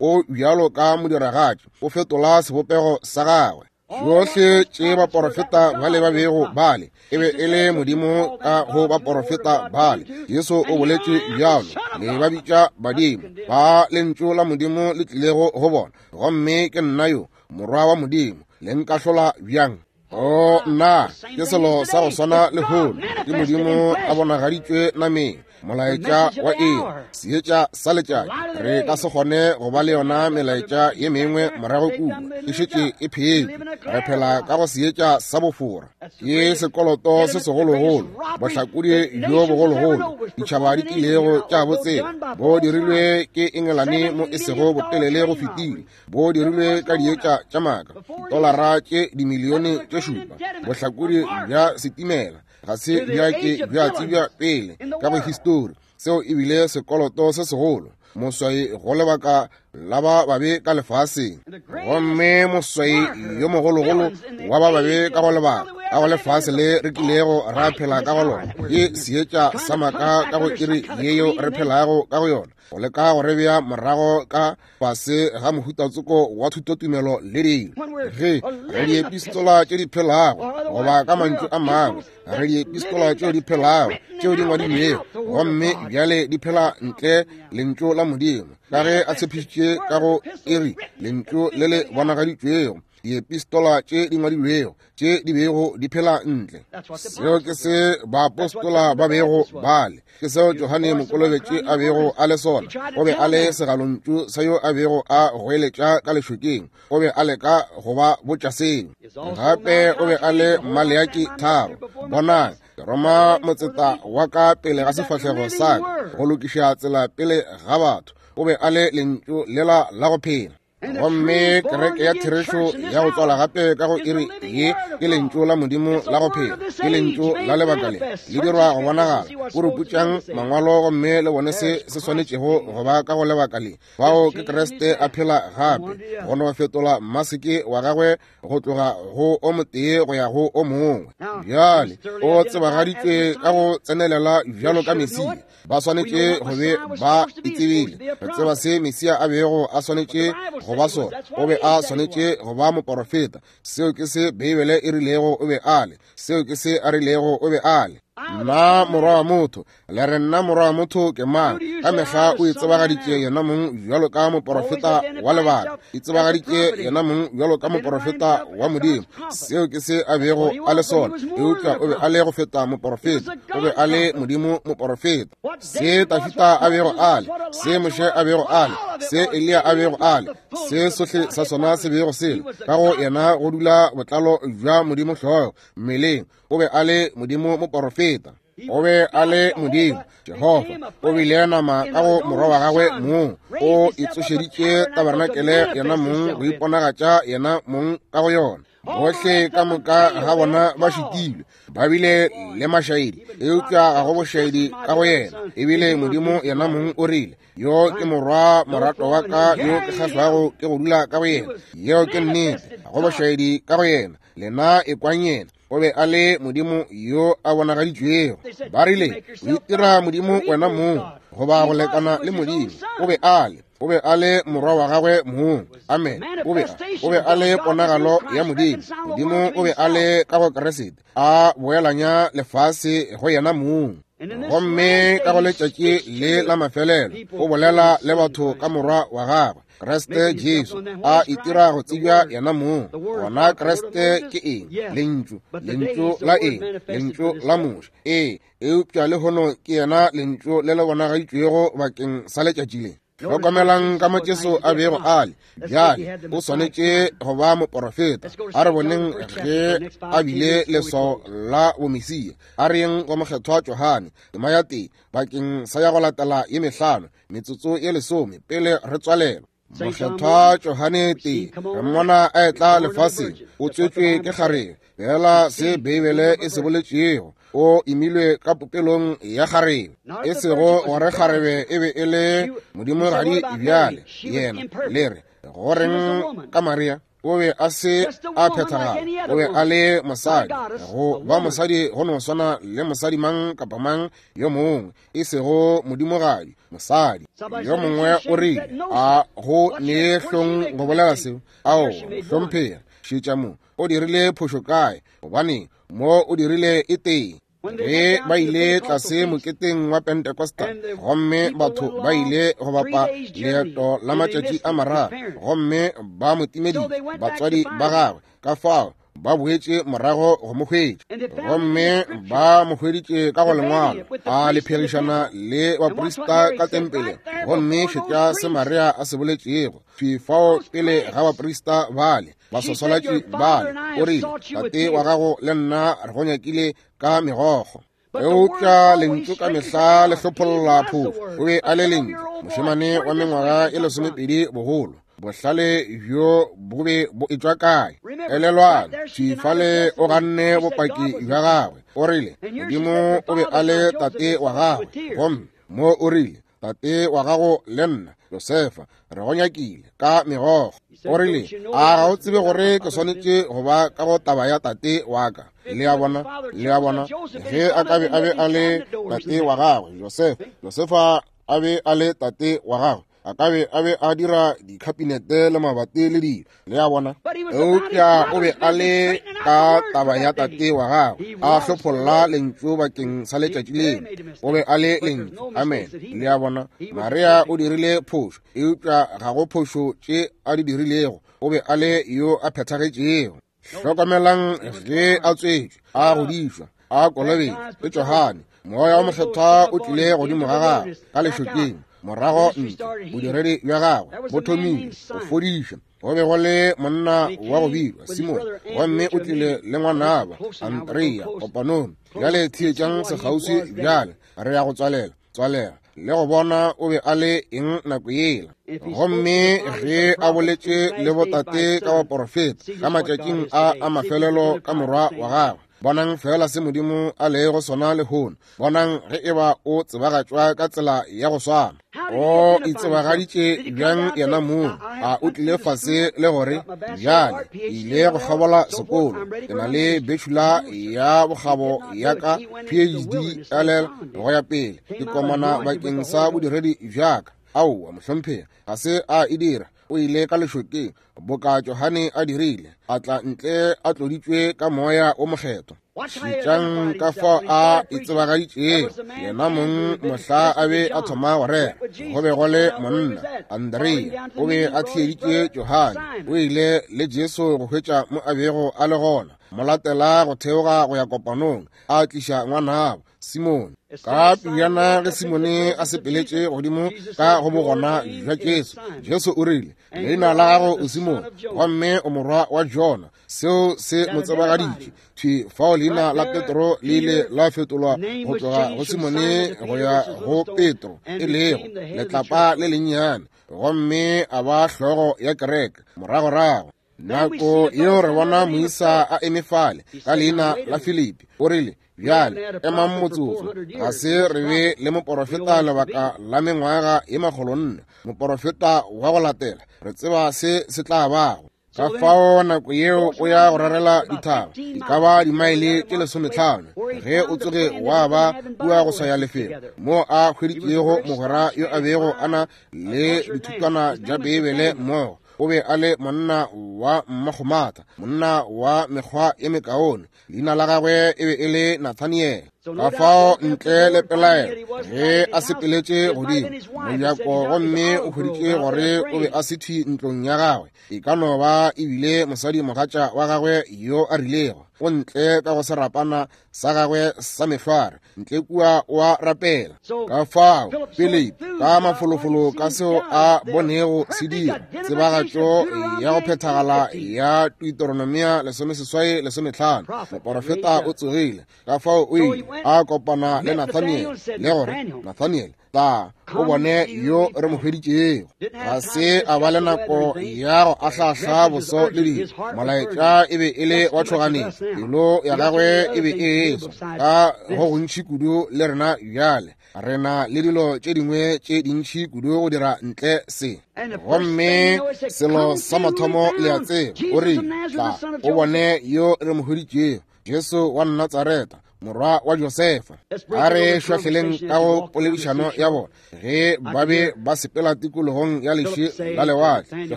Speaker 2: O bjalo ka modiragatši, o fetola sebopego sa gagwe. Tšohle tše baporofeta bale ba bego bale, e be e le Modimo ka go baporofeta bale. Jesu o boletše bjalo, le ba bitša badimo ba lentšu la Modimo le tlilego go bona. Gomme ke nna yo, morwa wa Modimo, le nkahlola bjang? O nna, ke selo sa go swana lehono, ke Modimo a bonagaditšwe nameng, molaetša wa eng, seetša sa letšatši. Re ka se kgone go ba le yona melaetša ye mengwe morago kua, e šetše e phetše. Re phela ka go seetša sa bofora, ke sekoloto se segologolo, bohlakodi bjo bogologolo ditšhaba di tlilego tša botsela, bo dirilwe ke Engelane mo e sego botelele go fetile, bo dirilwe ka dietša tša maaka, dolara tše dimilione tše šupa, bohlakodi bja setimela ga se bja ke bja tsebja pele ka go histori. Seo e bile sekoloto se segolo, moswai go lebaka la ba babe ka lefaseng. Gomme moswai yo mogologolo wa ba babe ka go lebaka ka go lefase le re tlilego ra phela ka go lona, ke seetša sa maaka ka go iri yeo re phelago ka go yona, go leka go re bea morago ka fase ga mohutatsoko wa thutotumelo le dilo. Ge re diepistola tše di phelago, goba ka mantšu a mangwe, re diepistola tšeo di phelago tšeo di ngwadilwego, gomme bjale di phela ntle lentšu la Modimo, ka ge a tshepišitše ka go iri lentšu le le bonagaditšwego, diepistola tše di ngwadilwego tše di bego di phela ntle. Seo ke se baapostola ba bego bale, ke seo Johane Mokolobetši a bego a le sona. O be a le segalontšu sa yo a bego a goeletša ka lešokeng, o be a leka go ba botša seo. Gape o be a le Maleaki tharo. Bonang, ke roma motseta wa ka pele ga sefahlego sa ka go lokiša tsela pele ga batho. O be a le lentšu lela la go phela. Gomme kereke ya therešo ya go tswala gape ka go iri ye ke lentšu la Modimo la go phela, ke lentšu la lebaka le le dirwa go bonagala. O re putšang mangwalo gomme le bone se se swanetšego go ba ka go lebaka le. Bao ke Kriste a phela gape, go no fetola maseke wa gagwe go tloga go o motee go ya go o mongwe. Bjale o tsebagaditšwe ka go tsenelela bjalo ka Mesia. Ba swanetše go be ba itsebile. Re tseba se Mesia a bego a swanetše go ba sona. O be a swanetše go ba moporofeta. Seo ke se Beibele e rilego o be a le. Seo ke se a rilego o be a le. Nna morwa wa motho, le re nna morwa wa motho ke mang? Ka mehla o itsebagaditše yena mong bjalo ka moporofeta wa lebaka, itsebagaditše yena mong bjalo ka moporofeta wa Modimo. Seo ke se a bego a le sona. Eupša o be a le go feta moporofeta, o be a le Modimo moporofeta. Se Tafita a bego a le, se Moshe a bego a le, se Eliya a bego a le, se sohle sa sona se bego se le ka go yena go dula botlalo bja Modimo hlogo mmeleng. O be a le Modimo moporofeta, o be a le Modimo Jehofa, o bile nama ka go morwa wa gagwe mong, o itsošeditše tabernakelé yena mong go iponagatša yena mong ka go yona. Bohle ka moka ga bona ba šitilwe, ba bile le mašaedi, eupša ga go bošaedi ka go yena. Ebile Modimo yena mong o rile, yo ke morwa morato wa ka yo ke kgahlwago ke go dula ka go yena. Yeo ke nnete, ga go bošaedi ka go yena. Lena ekwang yena. O be a le Modimo yo a bonagaditšwego. Ba rile, o itira Modimo wena mong, goba go lekana le Modimo. O be a le, o be a le morwa wa gagwe mong. Amen. O be, o be a le ponagalo ya Modimo. Modimo o be a le ka go Kriste, a boelanya lefase go yena mong. Gomme ka go letšatši le la mafelelo o bolela le batho ka morwa wa gagwe Kriste Jesu, a itira go tsebja yena mong. Gona Kriste ke eng? Lentšu. Lentšu la eng? Lentšu la Moshe. Ee, eupša lehono ke yena lentšu le le bonagaditšwego bakeng sa letšatši le. Hlokomelang ka mo Jesu a bego a le. Bjale o swanetše go ba moporofeta. A re boneng ge a bile leswao la bomesia. A re yeng go mokgethwa Johane tema ya tee bakeng sa ya go latela ye mehlano, metsotso ye lesome pele re tswalelwa. Mokgethwa Johane tee, re mmona a etla lefaseng, o tswetšwe ke kgarebe, fela se Beibele e se boletšego, o imilwe ka popelong ya kgarebe, e sego gore kgarebe e be e le modimogadi. Bjale yena le re goreng ka Maria? O be a se a phethagala, o be a le mosadi. Go ba mosadi go no swana le mosadi mang kapa mang yo mongwe, e sego modimogadi, mosadi. Yo mongwe o rile, a go nee hlong go bolela seo? Ao, hlomphega, šetša mo.
Speaker 1: O dirile phošo kae? Gobane mo o dirile e tee. Ge ba ile tlase moketeng wa Pentecostal, gomme batho ba ile go bapa leeto la matšatši a mararo, gomme ba mo timeditše batswadi ba gagwe, ka fao ba boetše morago go mo hwetša, gomme ba mo hweditše ka go lengwalo a le pherišana le baprista ka tempeleng. Gomme šetša se Maria a se boletšego thwi fao pele ga baprista bale, baswaswalatši bale, o rile, tate wa gago le nna re go nyakile ka megokgo. Eupša lentšu ka mehla le hlopholla phošo. O be a le lentšu, mošemane wa mengwaga e lesomepedi bogolo. Bohlale bjo bo be bo etšwa kae? Elelwang, thwi fale o ganne bopaki bja gagwe. O rile Modimo o be a le tate wa gagwe, gomme mo o rile tate wa gago le nna Josefa re go nyakile ka megokgo. O rile, a ga o tsebe gore ke swanetše go ba ka go taba ya tate wa ka? Le a bona, le a bona, ge a ka be a be a le tate wa gagwe Josefa, Josefa a be a le tate wa gagwe, a ka be a be a dira dikhabinete le mabati le dilo. Le a bona? Eupša o be a le ka taba ya tate wa gagwe, a hlopholla lentšu bakeng sa letšatši leo. O be a le lentšu. Amen. Le a bona? Maria o dirile phošo, eupša ga go phošo tše a di dirilego. O be a le yo a phethagetšego. Hlokamelang ge a tswetšwe, a godišwa, a kolobetšwa ke Johane, Moya wa Mokgethwa o tlile godimo ga gagwe ka lešokeng. Morago ntle bodiredi bja gagwe bo thomile go fodiša. Go be go le monna wa go bitšwa Simone, gomme o tlile le ngwanabo Andrea kopanong. Bjale theetšang sekgauswi bjale, re ya go tswalela tswalela le go bona o be a le eng nako yela. Gomme ge a boletše le botate ka baporofeta ka matšatšing a a mafelelo ka morwa wa gagwe, bonang fela se Modimo a lego sona lehono. Bonang ge eba o tsebagatšwa ka tsela ya go swana. O itsebagaditše bjang yena mong? A o tlile fase le gore, bjale ke ile go kgabola sekolo, ke na le bachelor ya bokgabo ya ka P H D L L go ya pele, ke komana bakeng sa bodiredi bja ka. Aowa mohlomphegi, ga se a e dira. O ile ka lešokeng boka Johane a dirile, a tla ntle a tloditšwe ka Moya o Mokgethwa. Šetšang ka fao a itsebagaditšego yena mong mohla a be a thoma go rera. Go be go le monna Andrea, o be a theeditše Johane. O ile le Jesu go hwetša mo a bego a le gona, mo latela go theoga go ya kopanong, a tliša ngwanabo Simone. Ka pejana ge Simone a sepeletše godimo ka go bogona bja Jesu, Jesu o rile, leina la gago o Simone, gomme o morwa wa Jona. Seo se mo tsebagaditše thwi fao. Leina la Petro le ile la fetolwa go tloga go Simone go ya go Petro, e lego letlapa le lennyane, gomme a ba hlogo ya kereke moragorago. Nako yeo re bona moisa a eme fale ka leina la Filipi, o rile, bjale emang motsotso, ga se re be le moporofeta lebaka la mengwaga ye makgolo nne, moporofeta wa go latela, re tseba se se tla bago. Ka fao nako yeo o ya go rarela dithaba, di ka ba dimaele tše lesometlhano, ge o tsoge wa ba kua go swaya lefelo mo a hweditšego mogwera yo a bego a na le dithutwana tša Beibele mmogo. O be a le monna wa mmakgomatha, monna wa mekgwa ye mekaone. Leina la gagwe e be e le Nathaniel. Ka fao ntle le pelaelo ge a sepeletše godimo mojako gomme o hweditše gore o be a se thwi ntlong ya gagwe, e ka no ba ebile mosadi mogatša wa gagwe yo a rilego o ntle ka go serapana sa gagwe sa mehlware, ntle kua o a rapela. Ka fao Philip ka mafolofolo ka seo a bonego se dira, tsebagatšo ya go phethagala ya Deuteronomia lesomeseswai lesometlhano, moporofeta o tsogile. Ka fao o ile a kopana le Nathaniel le gore, Nathaniel, tla o bone yo re mo hweditšego. Ga se a ba le nako ya go ahlahla boso le dilo. Molaetša e be e le wa tšhoganetšo, pelo ya gagwe e be e eswa ka go gontši kudu le rena bjale. Re na le dilo tše dingwe tše dintši kudu go dira ntle se. Gomme selo sa mathomo le a tseba, o rile, tla o bone yo re mo hweditšego, Jesu wa Natsareta, morwa wa Josefa. A re šwahleleng ka go poledišano ya bona ge ba be ba sepela tikologong ya leši la lewatle. Ke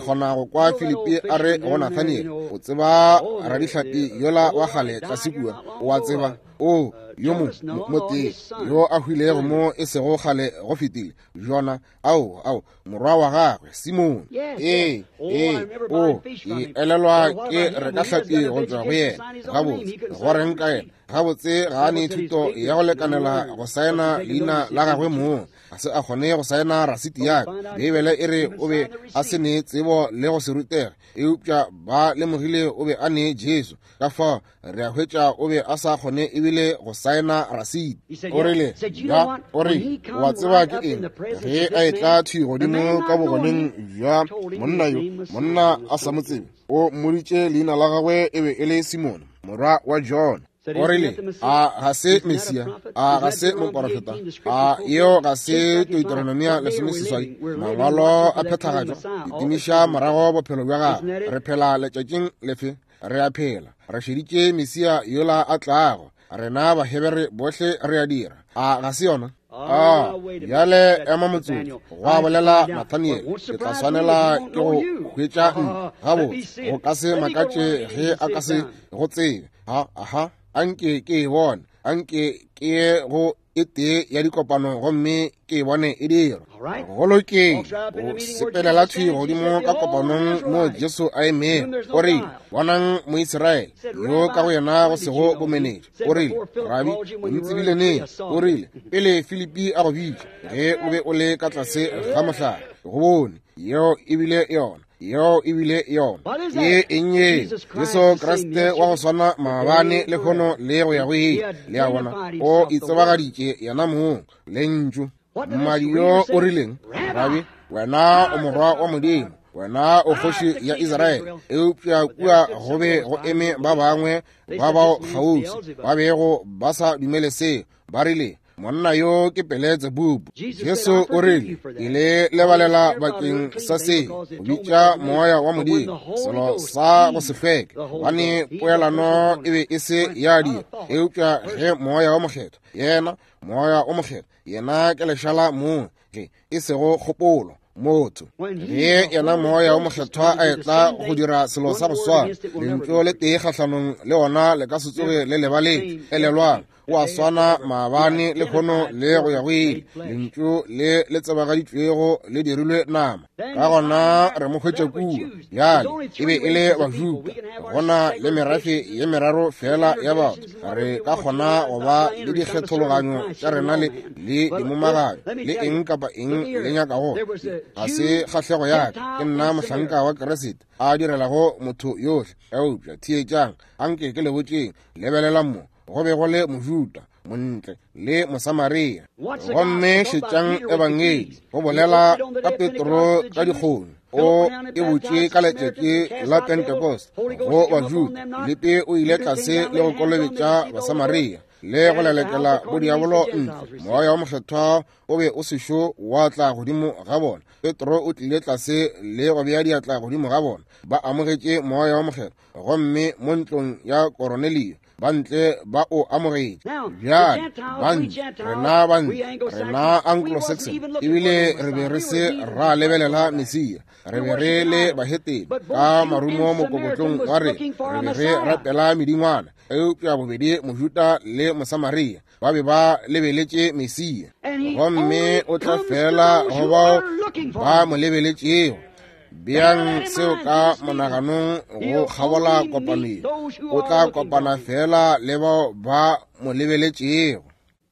Speaker 1: kgona go kwa Filipi a re go Nathaniel, o tseba radihlapi yola wa kgale tlase kua, o a tseba, o yo mo motee yo a hwilego mo e sego kgale go fetile, Jona, ao ao morwa wa gagwe Simone. Ee, ee, o ke elelwa ke reka hlapi go tšwa go yena. Gabotse, go reng ka yena? Gabotse ga a ne thuto ya go lekanela go saena leina la gagwe mong, ga se a kgone go saena rasiti ya ka. Beibele e re o be a se ne tsebo le go se rutege, eupša ba lemogile o be a ne Jesu. Ka fao re a hwetša o be a sa kgone ebile go saena rasiti. O rile, ya, o re, wa tseba ke eng? Ge a etla thwi godimo ka bogoneng bja monna yo, monna a sa mo tsebe, o mmoditše leina la gagwe e be e le Simone, morwa wa Jona. O rile, a ga se Mesia, a ga se moporofeta, a yeo ga se Deuteronomia lesomeseswai, mangwalo a phethagatšwa, ditimiša morago bophelo bja gagwe. Re phela letšatšing lefe? Re a phela, re šeditše Mesia yola a tlago. Rena Bahebere bohle re a dira. A ga se yona? A bjale ema motsotso, gwa bolela Nathaniel, ke tla swanela ke go hwetša ntle. Gabotse, go ka se makatše ge a ka se go tsebe. Ha, aha, anke ke e bone, anke ke ye go e tee ya dikopano gomme ke e bone e dirwa. Go lokile, o sepelela thwi godimo ka kopanong mo Jesu a emego. O rile, bonang Moisraele yo ka go yena go sego bomenetša. O rile, Rabi, o ntsebile neng? O rile, pele Filipi a go bitša, ge o be o le ka tlase ga mohlare, go bone. Yeo e bile yona, yeo e bile yona. Ke eng ye? Jesu Kriste wa go swana maabane, lehono le go ya go ile. Le a bona, o itsebagaditše yena mong, lentšu. Mmadi yo o rileng, Rabi, wena o morwa wa Modimo, wena o kgoši ya Israele. Eupša kua go be go eme ba bangwe ba bao kgauswi ba bego ba sa dumele seo. Ba rile, monna yo ke Beletsebubu. Jesu o rile, ke le lebalela bakeng sa se, go bitša moya wa Modimo selo sa go se hlweke, gobane poelano e be e se ya dira. Eupša ge moya wa mokgethwa, yena moya o mokgethwa, yena ke lešala mong, ge e sego kgopolo motho, ge yena moya o mokgethwa a etla go dira selo sa go swana, lentšu le tee kgahlanong le ona le ka se tsoge le lebaletše. Elelwang, o a swana maabane, lehono le go ya go ile. Lentšu le le tsebagaditšwego le dirilwe nama. Ka gona re mo hwetša kua. Bjale e be e le Bajuda, gona le merafe ye meraro fela ya batho. Re ka kgona go ba le dikgethologanyo tša rena le le dimomagayo le eng kapa eng le nyakago. Ga se kgahlego ya ka, ke nna mohlanka wa Kriste a direlago motho yohle. Eupša theetšang, anke ke le botšeng, lebelelang mo. Go be go le Mojuda, Montle le Mosamaria. Gomme šetšang ebangedi, go bolela ka Petro ka dikgono, o e botše ka letšatši la Pentecost go Bajuda. Filipi o ile tlase le go kolobetša Basamaria le go lelekela bodiabolo ntle. Moya wa mokgethwa o be o sešo wa tla godimo ga bona. Petro o tlile tlase le go bea diatla godimo ga bona, ba amogetše moya wa mokgethwa. Gomme mo ntlong ya Koronelio ba ntle ba o amogetše. Bjale bantle, rena bantle, rena Anglo-Saxon, ebile re be re se ra lebelela Mesia. Re be re le bahetene ka marumo mokokotlong wa rena, re be re rapela medingwana. Eupša bobedi Mojuda le Mosamaria ba be ba lebeletše Mesia, gomme o tla fela go bao ba mo lebeletšego. Beang seo ka monaganong go kgabola kopanong. O tla kopana fela le bao ba mo lebeletšego.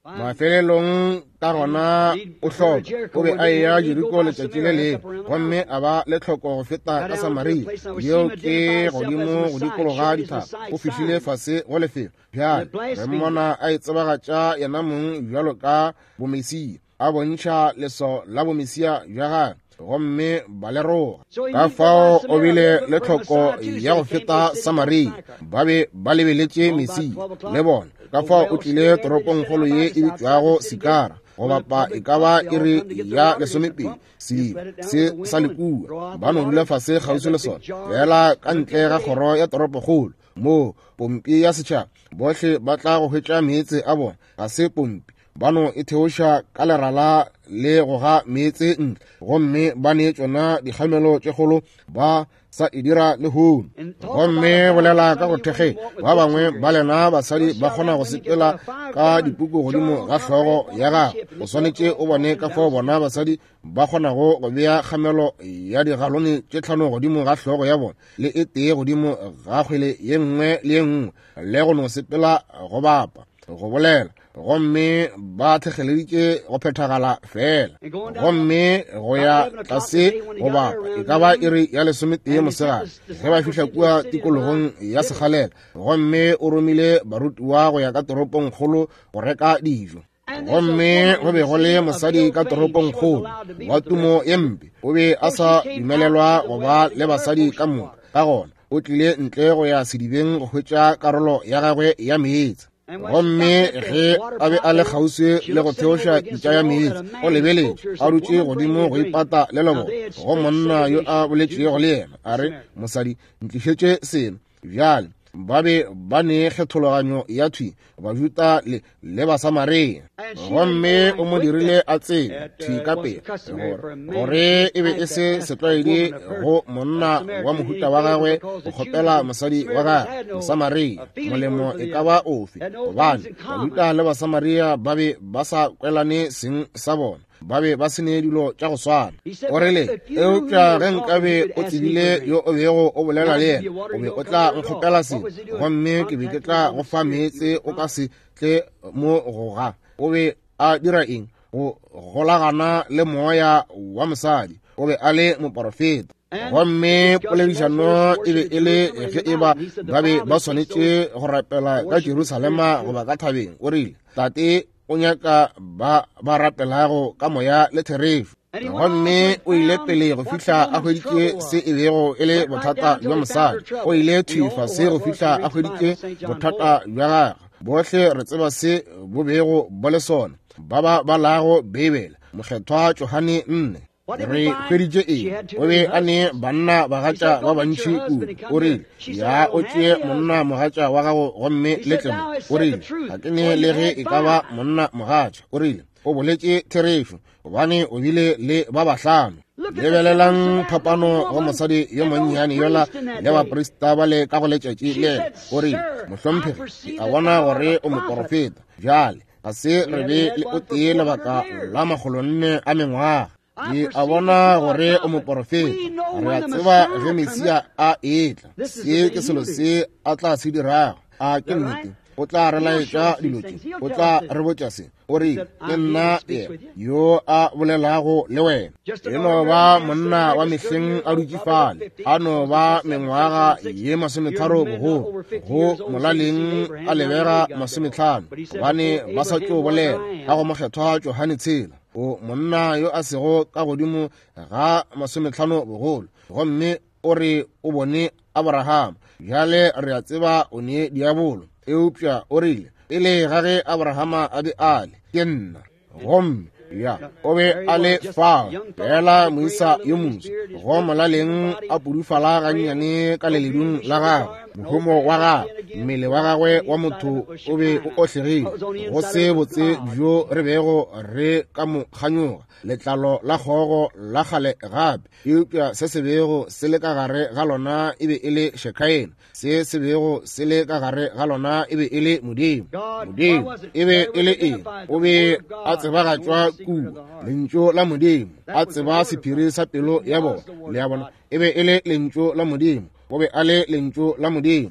Speaker 1: Mafelelong ka gona o hloka, o be a eya Jeriko letšatši le lengwe, gomme a ba le tlhoko go feta ka Samaria. Yeo ke godimo go dikologa dithaba. O fihlile fase go lefelo. Bjale re mmona a itsebagatša yena mong bjalo ka bomesia, a bontšha leso la bomesia bja gagwe, gomme ba le roga. Ka fao o bile le tlhoko ya go feta Samaria. Ba be ba lebeletše Mesia le bona. Ka fao o tlile toropongkgolo ye e bitšwago Sikara, go bapa e ka ba iri ya lesomepedi. Sediba se sa le kua, ba no dula fase kgauswi le sona, fela ka ntle ga kgoro ya toropokgolo. Moo pompi ya setšhaba, bohle ba tla go hwetša meetse a bona. Ga se pompi, ba no e theoša ka lerala le go ga meetse ntle, gomme ba ne tšona dikgamelo tše kgolo ba sa e dira lehono. Gomme bolela ka go thekge, ba bangwe ba lena basadi ba kgona go sepela ka dipuku godimo ga hlogo ya gago. O swanetše o bone ka fao bona basadi ba kgonago go bea kgamelo ya digalone tše tlhano godimo ga hlogo ya bona le e tee godimo ga kgwele ye nngwe le ye nngwe, le go no sepela go bapa go bolela, gomme ba thekgeleditše go phethagala fela. Gomme go ya tlase go bapa e ka ba iri ya lesometee mosegare ge ba fihla kua tikologong ya Segalela, gomme o romile barutiwa go ya ka toropongkgolo go reka dijo. Gomme go be go le mosadi ka toropongkgolo wa tumo ye mpe, o be a sa dumelelwa go ba le basadi ka moka. Ka gona o tlile ntle go ya sedibeng go hwetša karolo ya gagwe ya meetse. Gomme ge a be a le kgauswi le go theoša pitša ya meetse, o lebeletše a dutše godimo go ipata le lobona go monna yo a boletšego le yena, a re, mosadi, ntlišetše seno. Bjale ba be ba ne kgethologanyo ya thwi Bajuda le le Basamaria, gomme o mo dirile a tsebe thwi ka pele gore gore e be e se setlwaedi go monna wa mohuta wa gagwe go kgopela mosadi wa gagwe Mosamaria molemo e ka ba ofe, gobane Bajuda le Basamaria ba be ba sa kwelane seng sa bona, ba be ba se ne dilo tša go swana. O rile, eupša ge nkabe o tsebile yo o bego o bolela le yena, o be o tla nkgopela selo, gomme ke be ke tla go fa meetse o ka se tle mo go ga. O be a dira eng? Go golagana le moya wa mosadi. O be a le moporofeta. Gomme poledišano e be e le ge e ba ba be ba swanetše go rapela ka Jerusalema goba ka thabeng. O rile, Tate o nyaka ba ba rapelago ka moya le therešo. Gomme o ile pele go fihla a hweditše se e bego e le bothata bja mosadi. O ile thwi fase go fihla a hweditše bothata bja gagwe. Bohle re tseba se bo bego bo le sona, ba ba balago Beibele, Mokgethwa Johane nne. Re hweditše eng? O be a ne banna bagatša ba bantši kudu. O rile, ya o tšee monna mogatša wa gago gomme le tle mo. O rile, ga ke ne le ge e ka ba monna mogatša. O rile, o boletše therešo, gobane o bile le ba bahlano. Lebelelang phapano go mosadi yo monnyane yola le baprista ba le ka go letšatši lela. O rile, mohlomphegi, ke a bona gore o moporofeta. Bjale ga se re be le o tee lebaka la makgolonne a mengwaga. Ke a bona gore o moporofeta. Re a tseba ge Mesia a etla, se ke selo se a tla se dirago. A ke nnete? O tla re laetša dilo tše, o tla re botša se. O rile, ke nna yena yo a bolelago le wena. E no ba monna wa mehleng a dutše fale, a no ba mengwaga ye masometharo bogolo, go molaleng a lebega masometlhano, gobane ba sa tšo bolela ka go Mokgethwa Johane tshela. O monna yo a sego ka godimo ga masometlhano bogolo, gomme o re o bone Abraham. Bjale re a tseba o ne diabolo, eupša o rile, pele ga ge Abrahama a be a le, ke nna. Gomme ya o be a le fao fela moisa yo moso, go molaleng a pudufala gannyane ka leledung la gagwe, mohumo wa gagwe, mmele wa gagwe wa motho o be o ohlegile, go se botse bjo re bego re ka mo kganyoga, letlalo la kgogo la kgale gape, eupša se se bego se le ka gare ga lona e be e le Shekaena, se se bego se le ka gare ga lona e be e le Modimo. Modimo e be e le eng? O be a tsebagatšwa kua, lentšu la Modimo, a tseba sephiri sa pelo ya bona. Le a bona, e be e le lentšu la Modimo. O be a le lentšu la Modimo,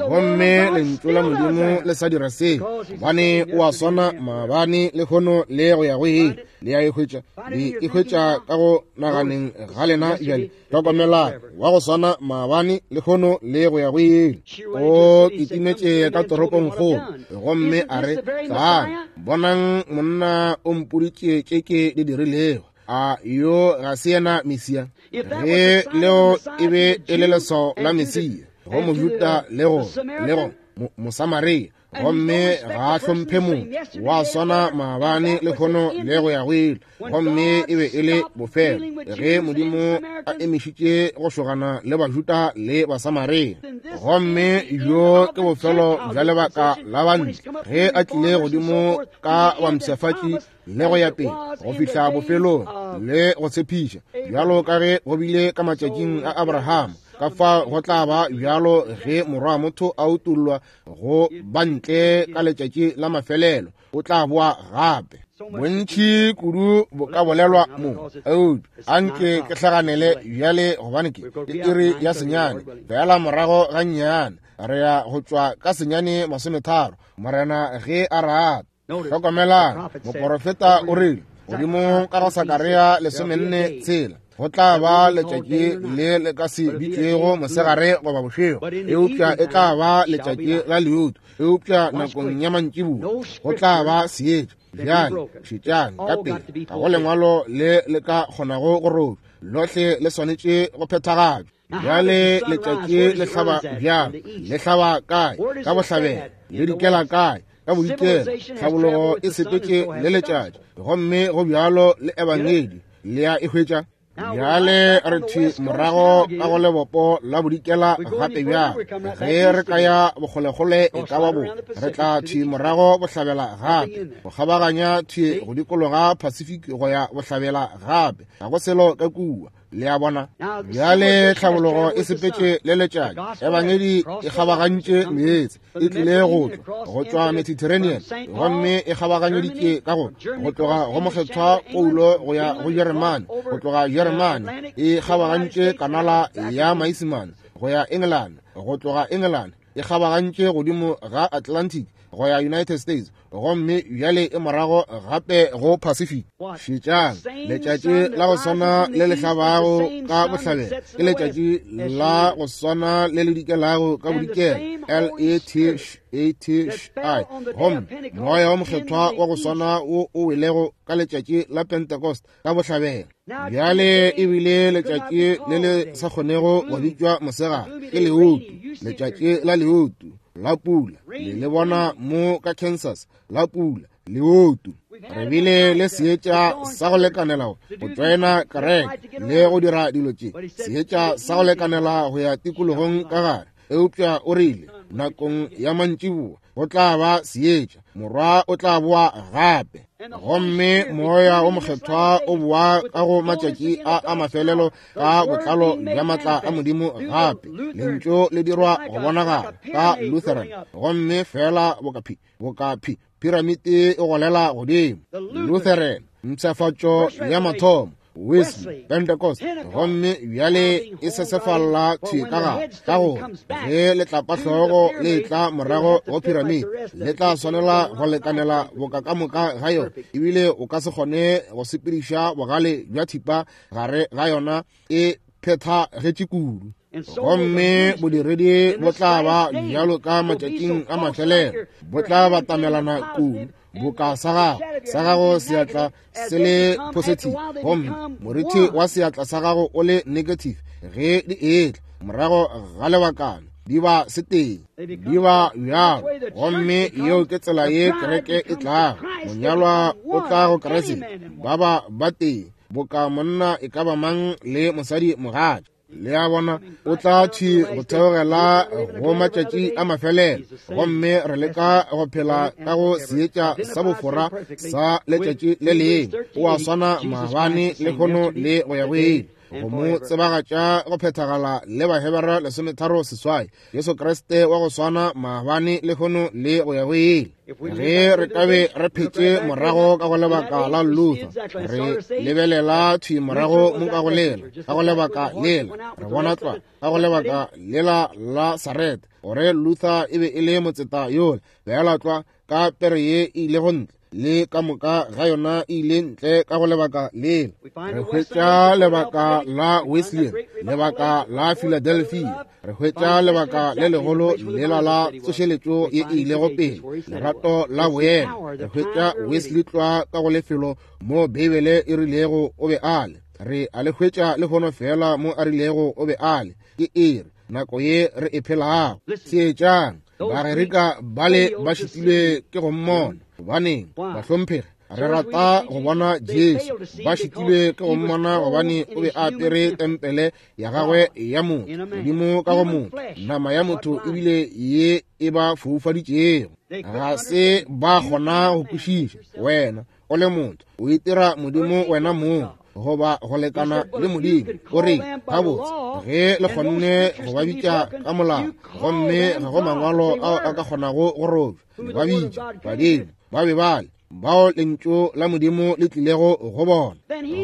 Speaker 1: gomme lentšu la Modimo le sa dira se, gobane o a swana maabane le lehono le go ya go ile. Le a e hwetša, le e hwetša ka go naganeng ga lena bjale. Hlokomelang, wa go swana maabane le lehono le go ya go ile. O kitimetše ka toropongkgolo, gomme a re, tlang, bonang monna o mpoditše tše ke di dirilego. A yo ga se yena Mesia? Ge leo e be e le leswao la Mesia go Mojuda le go le go Mosamaria, Gomme ga a hlomphe motho, wa swana maabane le lehono le go ya go ile. Gomme e be e le bofelo ge Modimo a emišitše go šogana le Bajuda le Basamaria. Gomme bjo ke bofelo bja lebaka la bantle ge a tlile godimo ka bampshafatši le go ya pele go fihla bofelong le go tshepiša, bjalo ka ge go bile ka matšatšing a Abraham, ka fa go tla ba bjalo ge morwa motho a utollwa go bantle ka letšatši la mafelelo, o tla boa gape. Bontši kudu bo ka bolelwa mo, eupša anke ke hlaganele bjale, gobane ke iri ya senyane fela morago ga nnyane, re ya go tšwa ka senyane masometharo, Morena ge a rata. Hlokomelang, moporofeta o rile godimo ka go Sakaria lesomenne tshela, go tla ba letšatši le le ka se bitšwego mosegare goba bošego, eupša e tla ba letšatši la leutu, eupša nakong ya mantšiboa go tla ba seetša. Bjale šetšang ka pele, ga go lengwalo le le ka kgonago go robja, lohle le swanetše go phethagatšwa. Bjale letšatši le hlaba bjang? Le hlaba kae? Ka bohlabela. Le dikela kae? Ka bodikela. Tlhabologo e sepetše le letšatši, gomme go bjalo le ebangedi le ya e hwetša. Bjale re thwi morago ka go lebopo la bodikela gape bjang. Ge re ka ya bokgolekgole e ka ba bo, re tla thwi morago bohlabela gape, go kgabaganya thwi go dikologa Pacific go ya bohlabela gape. Ga go selo ka kua. Le a bona? Bjale tlhabologo e sepetše le letšatši, ebangedi e kgabagantše meetse, e tlile go tšwa go tšwa Mediterranean, gomme e kgabaganyeditše ka go go tloga go mokgethwa Paulo go ya go Jeremane, go tloga Jeremane e kgabagantše kanala ya Maisemane go ya England, go tloga England e kgabagantše godimo ga Atlantic go ya United States, gomme bjale e morago gape go Pacific. Šetšang, letšatši la go swana le le hlabago ka bohlabela ke letšatši la go swana le le dikelago ka bodikela, L E T A T I. Gomme moya wa mokgethwa wa go swana wo o welego ka letšatši la Pentecost ka bohlabela. Bjale e bile letšatši le le sa kgonego go bitšwa mosegare, ke leutu, letšatši la leutu la pula. Le le bona mo ka Kansas, la pula, leutu. Re bile le seetša sa go lekanela go tšoena kereke le go dira dilo tše, seetša sa go lekanela go ya tikologong ka gare. Eupša o rile nakong ya mantšiboa go tla ba seetša, morwa o tla boa gape. Gomme moya o mokgethwa o boa ka go matšatši a a mafelelo ka botlalo bja matla a Modimo gape. Lentšu le dirwa go bonagala ka Lutheran, gomme fela boka boka piramite e golela godimo. Lutheran, mpshafatšo ya mathomo, Wesley, Pentecost, gomme bjale e sesefalla thwi ka gare, ka gore ge letlapahlogo le tla morago go piramite, le tla swanela go lekanela boka ka moka ga yona, ebile o ka se kgone go sepediša bogale bja thipa gare ga yona, e phethagetše kudu. Gomme bodiredi bo tla ba bjalo ka matšatšing a mafelelo, bo tla batamelana kudu boka sa gago, sa gago seatla se le positive, gomme moriti wa seatla sa gago o le negative. Ge di etla morago ga lebakana di ba setee, di ba bjalo. Gomme yeo ke tsela ye kereke e tlago, monyalwa o tla go Kriste, ba ba ba tee boka monna e ka ba mang le mosadi mogatša. Le a bona, o tla thwi go theogela go matšatši a mafelelo, gomme re leka go phela ka go seetša sa bofora sa letšatši le lengwe. O a swana maabane le lehono le go ya go ile, go mo tsebagatša go phethagala le Bahebera lesometharo seswai, Jesu Kriste wa go swana maabane le lehono le go ya go ile. Ge re ka be re phetše morago ka go lebaka la Luther, re lebelela thwi morago mo ka go lela, ka go lebaka lela, re bona tlwa ka go lebaka lela la Sarete, gore Luther e be e le motseta yola, fela tlwa ka pere ye e ile go ntle, le ka moka ga yona e ile ntle ka go lebaka lela. Re hwetša lebaka la Wesley, lebaka la Philadelphia, re hwetša lebaka le legolo lela la tsošeletšo ye e ilego pele, lerato la boena. Re hwetša Wesley tlwa ka go lefelo mo Beibele e rilego o be a le. Re a le hwetša lehono fela mo a rilego o be a le. Ke iri nako ye re e phelago. Theetšang. Bagerika bale ba šitilwe ke go mmona. Gobaneng, bahlomphegi, re rata go bona Jesu. Ba šitilwe ke go mmona gobane o be a apere tempele ya gagwe ya motho, Modimo ka go motho, nama ya motho ebile ye e ba foufaditšego. Ga se ba kgona go kwešiša. Wena o le motho, o itira Modimo wena mong, goba go lekana le Modimo. O re, gabotse, ge le kgonne go ba bitša ka molao, gomme ga go mangwalo ao a ka kgonago go robja, le ba bitša badimo, ba be bale bao lentšu la Modimo le tlilego go bona.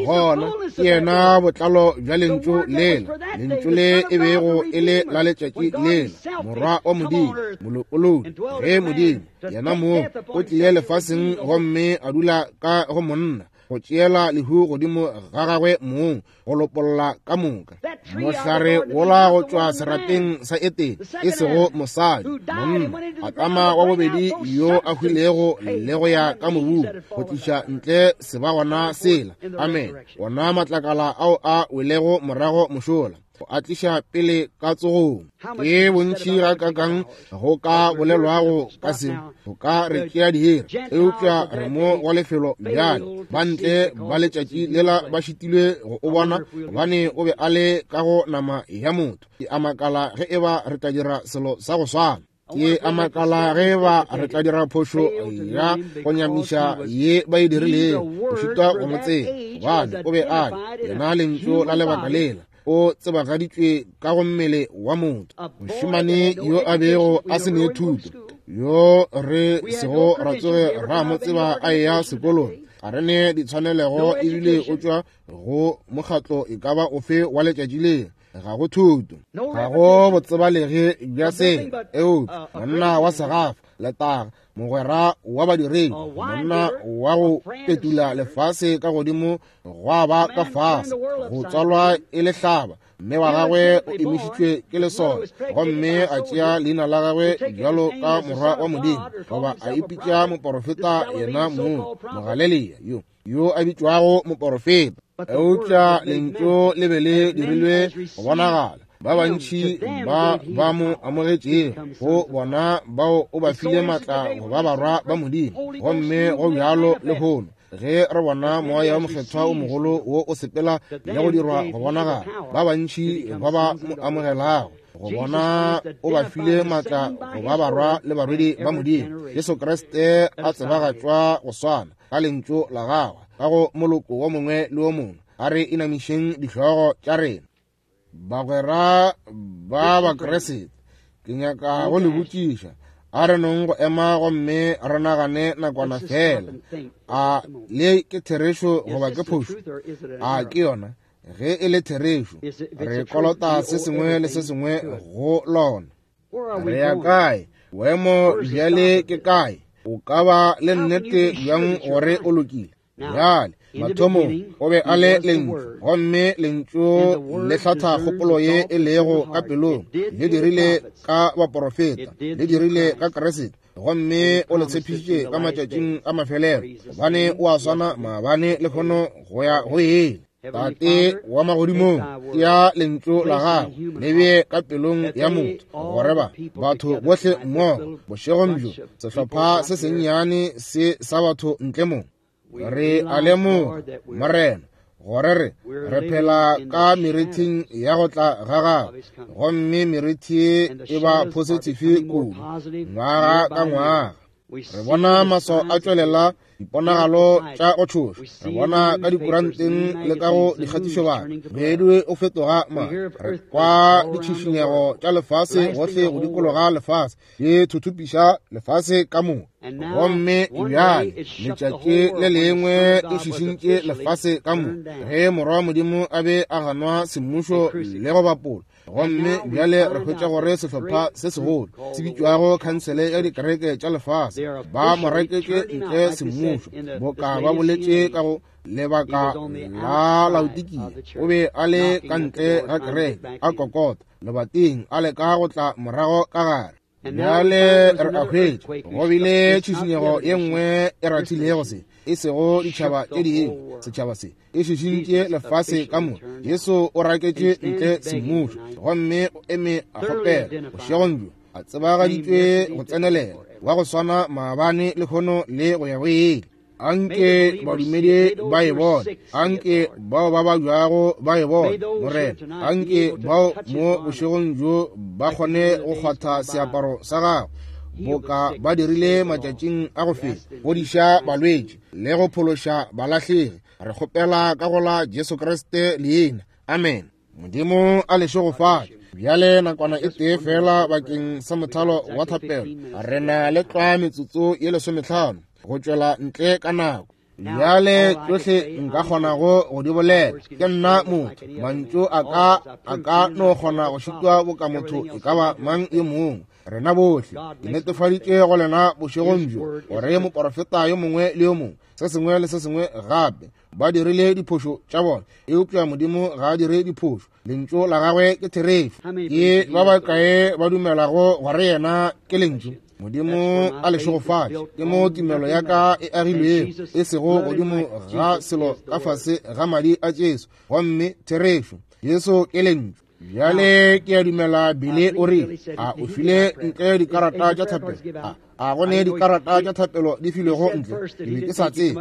Speaker 1: Gona ke yena botlalo bja lentšu lela, lentšu le e bego e le la letšatši lela, Morwa wa Modimo, molopolodi. Ge Modimo yena mong o tlile lefaseng gomme a dula ka go monna, go tšeela lehu godimo ga gagwe mong, go lopolla ka moka. Mohlare wola go tšwa serapeng sa Etene, e sego mosadi, monna, Adama wa bobedi yo a hwilego le go ya ka mobung, go tliša ntle sebagona sela, amen, wona matlakala ao a welego morago mošola, go a tliša pele ka tsogong. Ke bontši ga kakang go ka bolelwago ka se, go ka re tšea diiri, eupša re mo wa lefelo bjale. Ba ntle ba letšatši lela ba šitilwe go o bona, gobane o be a le ka go nama ya motho. Ke a makala ge eba re tla dira selo sa go swana. Ke a makala ge eba re tla dira phošo ya go nyamiša ye ba e dirilego, go šitwa go mo tseba, gobane o be a le yena lentšu la lebaka lela, o tsebagaditšwe ka go mmele wa motho. Mošemane yo a bego a se ne thuto, yo re sego ra tsoge ra mo tseba a eya sekolong, ga re ne ditshwanelego ebile o tšwa go mokgatlo e ka ba ofe wa letšatši le. Ga go thuto, ga go botsebalege bja selo, eupša monna wa segafa, letaga, mogwera wa badiredi, monna wa go petula lefase ka godimo gwa ba ka fase, go tswalwa e le hlaba, mme wa gagwe o emišitšwe ke lesole, gomme a tšea leina la gagwe bjalo ka morwa wa Modimo, goba a ipitša moporofeta yena mong, Mogalilea yo yo a bitšwago moporofeta. Eupša lentšu le be le dirilwe go bonagala. Ba bantši ba ba mo amogetšego, go bona bao o ba file matla go ba barwa ba Modimo. Gomme go bjalo lehono, ge re bona moya wa mokgethwa o mogolo wo o sepela le go dirwa go bonagala, ba bantši ba ba mo amogelago, go bona o ba file matla go ba barwa le barwedi ba Modimo. Jesu Kriste a tsebagatšwa go swana ka lentšu la gagwe ka go moloko wo mongwe le wo mongwe. A re inamišeng dihlogo tša rena. Bagwera ba Bakriste, ke nyaka go le botšiša, a re nong go ema gomme re nagane nakwana fela. A le ke therešo goba ke phošo? A ke yona? Ge e le therešo, re kolota se sengwe le se sengwe go lona. Re ya kae? Boemo bjale ke kae? O ka ba le nnete bjang gore o lokile? Bjale, mathomong o be a le lentšu, gomme lentšu le hlatha kgopolo ye e lego ka pelong. Le dirile ka baporofeta, le dirile ka Kriste, gomme o le tshepišitše ka matšatšing a mafelelo, gobane o a swana maabane lehono go ya go ile. Tate wa magodimong, ya lentšu la gago le bee ka pelong ya motho, gore ba batho bohle mmogo bošegong bjo, sehlopha se sennyane se sa batho ntle mo, re a lemoga, Morena, gore re re phela ka merithing ya go tla ga gagwe, gomme merithi e ba positive kudu ngwaga ka ngwaga. Re bona maswao a tšwelela, diponagalo tša go tšhoša, re bona ka dikuranteng le ka go dikgatišobaka, moedi o fetoga ma. Re kwa ditšhišinyego tša lefase gohle go dikologa lefase, di thuthupiša lefase ka moka. Gomme bjale letšatši le lengwe e šišintše lefase ka moka, ge Morwa wa Modimo a be a ganwa semmušo le go bapolwa. Gomme bjale re hwetša gore sehlopha se segolo se bitšwago Khansele ya Dikereke tša Lefase ba mo reketše ntle semmušo, boka ba boletše ka go lebaka la Laodikia. O be a le ka ntle ga kereke, a kokota lebating, a leka go tla morago ka gare. Bjale re a hwetša go bile tšhišinyego ye nngwe e rathilego se, e sego ditšhaba tše dingwe, setšhaba se e šišintše lefase ka moka. Jesu o raketše ntle semmušo, gomme o eme a kgopela bošegong bjo. a tsebagaditšwe go tsenelela, wa go swana maabane lehono le go ya go ile. Anke badumedi ba e bone, anke bao ba babjago ba e bone, Morena. Anke bao mo bošegong bjo ba kgone go kgwatha seaparo sa gago, boka ba dirile matšatšing a go feta, fodiša balwetši le go phološa balahlegi. Re kgopela ka go la Jesu Kriste leina. Amen. Modimo a le šegofatše. Bjale nakwana e tee fela bakeng sa mothalo wa thapelo. Re na le tlwa metsotso ye lesometlhano go tšwela ntle ka nako. Bjale tšohle nka kgonago go di bolela, ke nna motho, mantšu a ka a ka no kgona go šitwa boka motho e ka ba mang yo mongwe. Rena bohle ke netefaditše go lena bošegong bjo gore moporofeta yo mongwe le yo mongwe, se sengwe le se sengwe gape, ba dirile diphošo tša bona, eupša Modimo ga a dire diphošo. Lentšu la gagwe ke therešo. Ke ba bakae ba dumelago gore yena ke lentšu? Modimo a le šegofatše. Ke mo tumelo ya ka e agilwego, e sego godimo ga selo ka fase ga madi a Jesu, gomme therešo. Jesu ke lentšu. Bjale ke a dumela Bile o re a o file ntle dikarata tša thapelo. A a go ne dikarata tša thapelo di filwego ntle, ke be ke sa tsebe.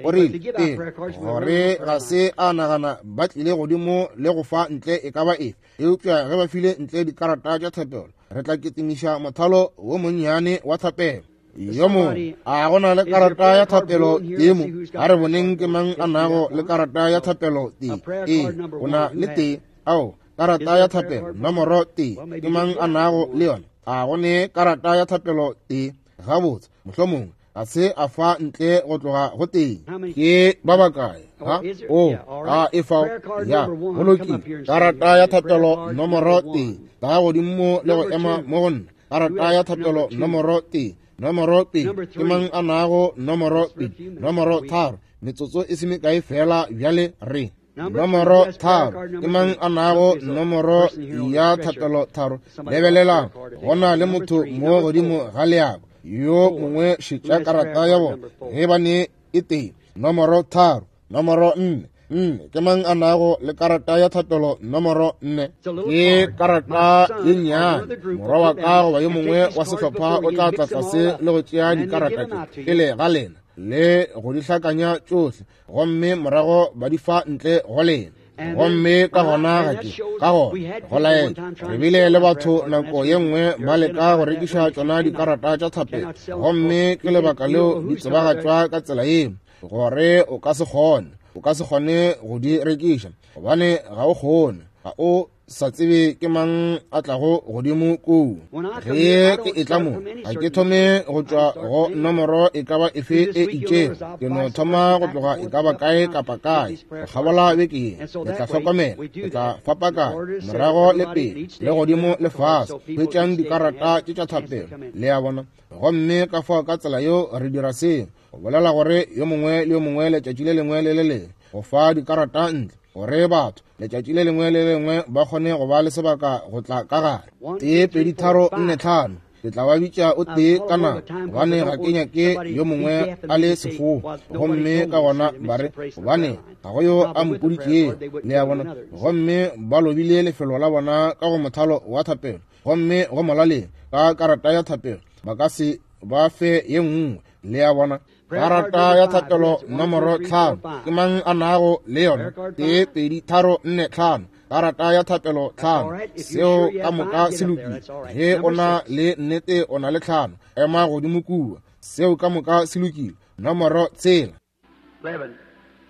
Speaker 1: O rile ee, gore ga se a nagana ba tlile godimo le go fa ntle e ka ba efe, eupša ge ba file ntle dikarata tša thapelo, re tla ketimiša mothalo wo monnyane wa thapelo. Yo mongwe a go na le karata ya thapelo tee mo? A re boneng ke mang a nago le karata ya thapelo tee. Ee, o na le tee. Ao, karata ya thapelo nomoro tee, ke mang a nago le yona? A go ne karata ya thapelo tee? Gabotse, mohlomongwe ga se a fa ntle go tloga go tee. Ke ba bakae? Ha? O, a e fao? Ya, go lokile. Karata ya thapelo nomoro tee, tla godimo le go ema mo go nna. Karata ya thapelo nomoro tee, nomoro pedi, ke mang a nago nomoro pedi? Nomoro tharo, metsotso e se mekae fela bjale re. Nomoro tharo, ke mang a nago nomoro ya thapelo tharo? Lebelelang, go na le motho mo godimo ga leako yo mongwe šetša karata ya bona ge ba ne e tee. Nomoro tharo, nomoro nne, nne, ke mang a nago le karata ya thapelo nomoro nne? Ke karata ye nnyane. Morwa wa ka goba yo mongwe wa sehlopha o tla tla tlase le go tšea dikarata tše pele ga lena le go di hlakanya tšohle, gomme morago ba di fa ntle go lena. Gomme ka gona ga ke ka gona go laetša re bile le batho nako ye nngwe ba leka go rekiša tšona dikarata tša thapelo, gomme ke lebaka leo di tsebagatšwa ka tsela ye, gore o ka se kgone, o ka se kgone go di rekiša, gobane ga o kgone, ga o sa tsebe ke mang a tlago godimo koo. Ge ke etla mo, ga ke thome go tšwa go nomoro e ka ba efe e itšego, ke no thoma go tloga e ka ba kae kapa kae go kgabola beke ye. Le tla hlokomela, le tla fapakanya morago le pele le godimo le fase, hwetšang dikarata tše tša thapelo, le a bona. Gomme ka fao ka tsela yeo re dira seo, go bolela gore yo mongwe le yo mongwe letšatši le lengwe le le lengwe go fa dikarata ntle, gore batho letšatši le lengwe le lengwe ba kgone go ba le sebaka go tla ka gare. Tee, pedi, tharo, nne, tlhano. Ke tla ba bitša o tee ka nako, gobane ga ke nyake yo mongwe a le sefou. Gomme ka gona ba re, gobane ga go yo a mpoditšego, le a bona. Gomme ba lobile lefelo la bona ka go mothalo wa thapelo, gomme go molaleng ka karata ya thapelo ba ka se ba fe ye nngwe, le a bona. Karata ya thapelo nomoro tlhano, ke mang a nago le yona? Tee, pedi, tharo, nne, tlhano. Karata ya thapelo tlhano, seo ka moka se lokile. Ge o na le nnete o na le tlhano, ema godimo kua. Seo ka moka se lokile. Nomoro tshela.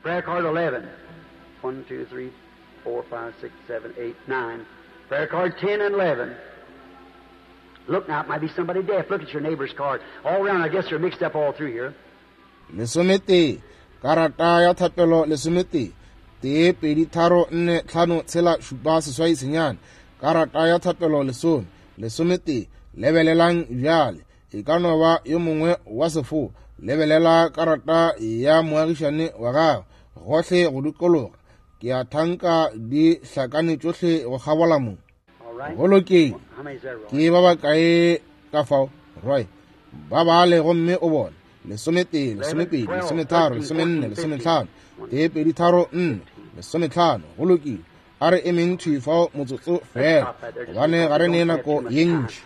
Speaker 3: Prayer card eleven. One, two, three, four, five, six, seven, eight, nine. Prayer card ten and eleven. Look now, it might be somebody deaf. Look at your neighbor's card. All around, I guess they're mixed up all through here.
Speaker 1: Lesometee, karata ya thapelo lesometee, tee, pedi, tharo, nne, tlhano, tshela, šupa, seswai, senyane. Karata ya thapelo lesome, lesometee. Lebelelang bjale, e ka no ba yo mongwe wa sefo. Lebelela karata ya moagišane wa gago gohle go dikologa. Ke a thanka di hlakane tšohle go kgabola mo. Go lokile. Ke ba bakae ka fao, Roy? Ba bale gomme o bone. Lesometee, lesomepedi, lesometharo, lesomenne, lesometlhano. Tee, pedi, tharo, nne, lesometlhano. Go lokile. A re emeng thwi fao motsotso fela, gobane ga re ne nako ye ntši.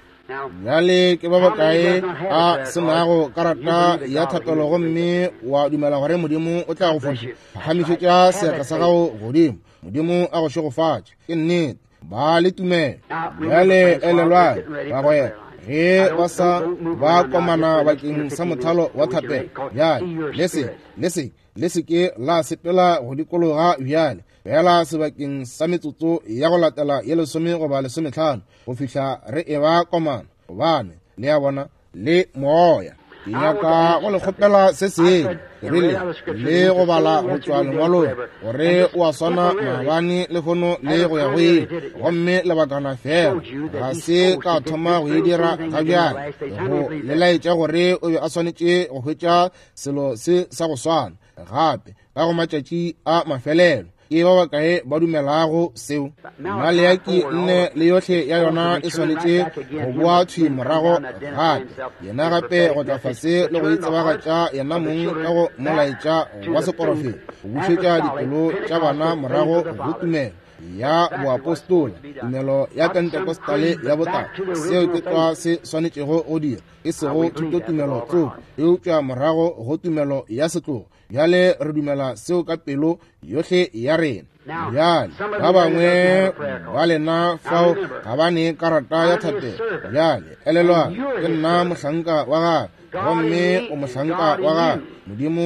Speaker 1: Bjale ke ba bakae a se nago karata ya thapelo gomme wa dumela gore Modimo o tla go fodiša? Phagamišetša seatla sa gago godimo. Modimo a go šegofatše. Ke nnete, ba le tumelo. Bjale elelwang, bagwera, ge ba sa ba komana bakeng sa mothalo wa thapelo, bjale le se le se le se ke la sepela go dikologa bjale, fela sebakeng sa metsotso ya go latela ye lesome goba lesometlhano go fihla re eba komana, gobane le a bona le moya. Ke nyaka go le kgopela se sengwe, ke rile le go bala go tšwa lengwalong gore o a swana maabane lehono le go ya go ile, gomme lebakana fela ga se ka thoma go e dira ga bjale, go le laetša gore o be a swanetše go hwetša selo se sa go swana gape ka go matšatši a mafelelo. Ke ba bakae ba dumelago seo? Maleaki nne le yohle ya yona e swanetše go boa thwi morago gape, yena gape go tla fase le go itsebagatša yena mong ka go molaetša wa seporofeta, go bušetša dipelo tša bana morago go tumelo ya boapostola, tumelo ya Pentekostale ya botala. Seo ke tlwa se swanetšego go dira, e sego thutotumelo tsoko, eupša morago go tumelo ya setlogo. Bjale re dumela seo ka pelo yohle ya rena. Bjale ba bangwe ba lena fao ga ba ne karata ya thapelo. Bjale elelwang, ke nna mohlanka wa gagwe, gomme o mohlanka wa gagwe. Modimo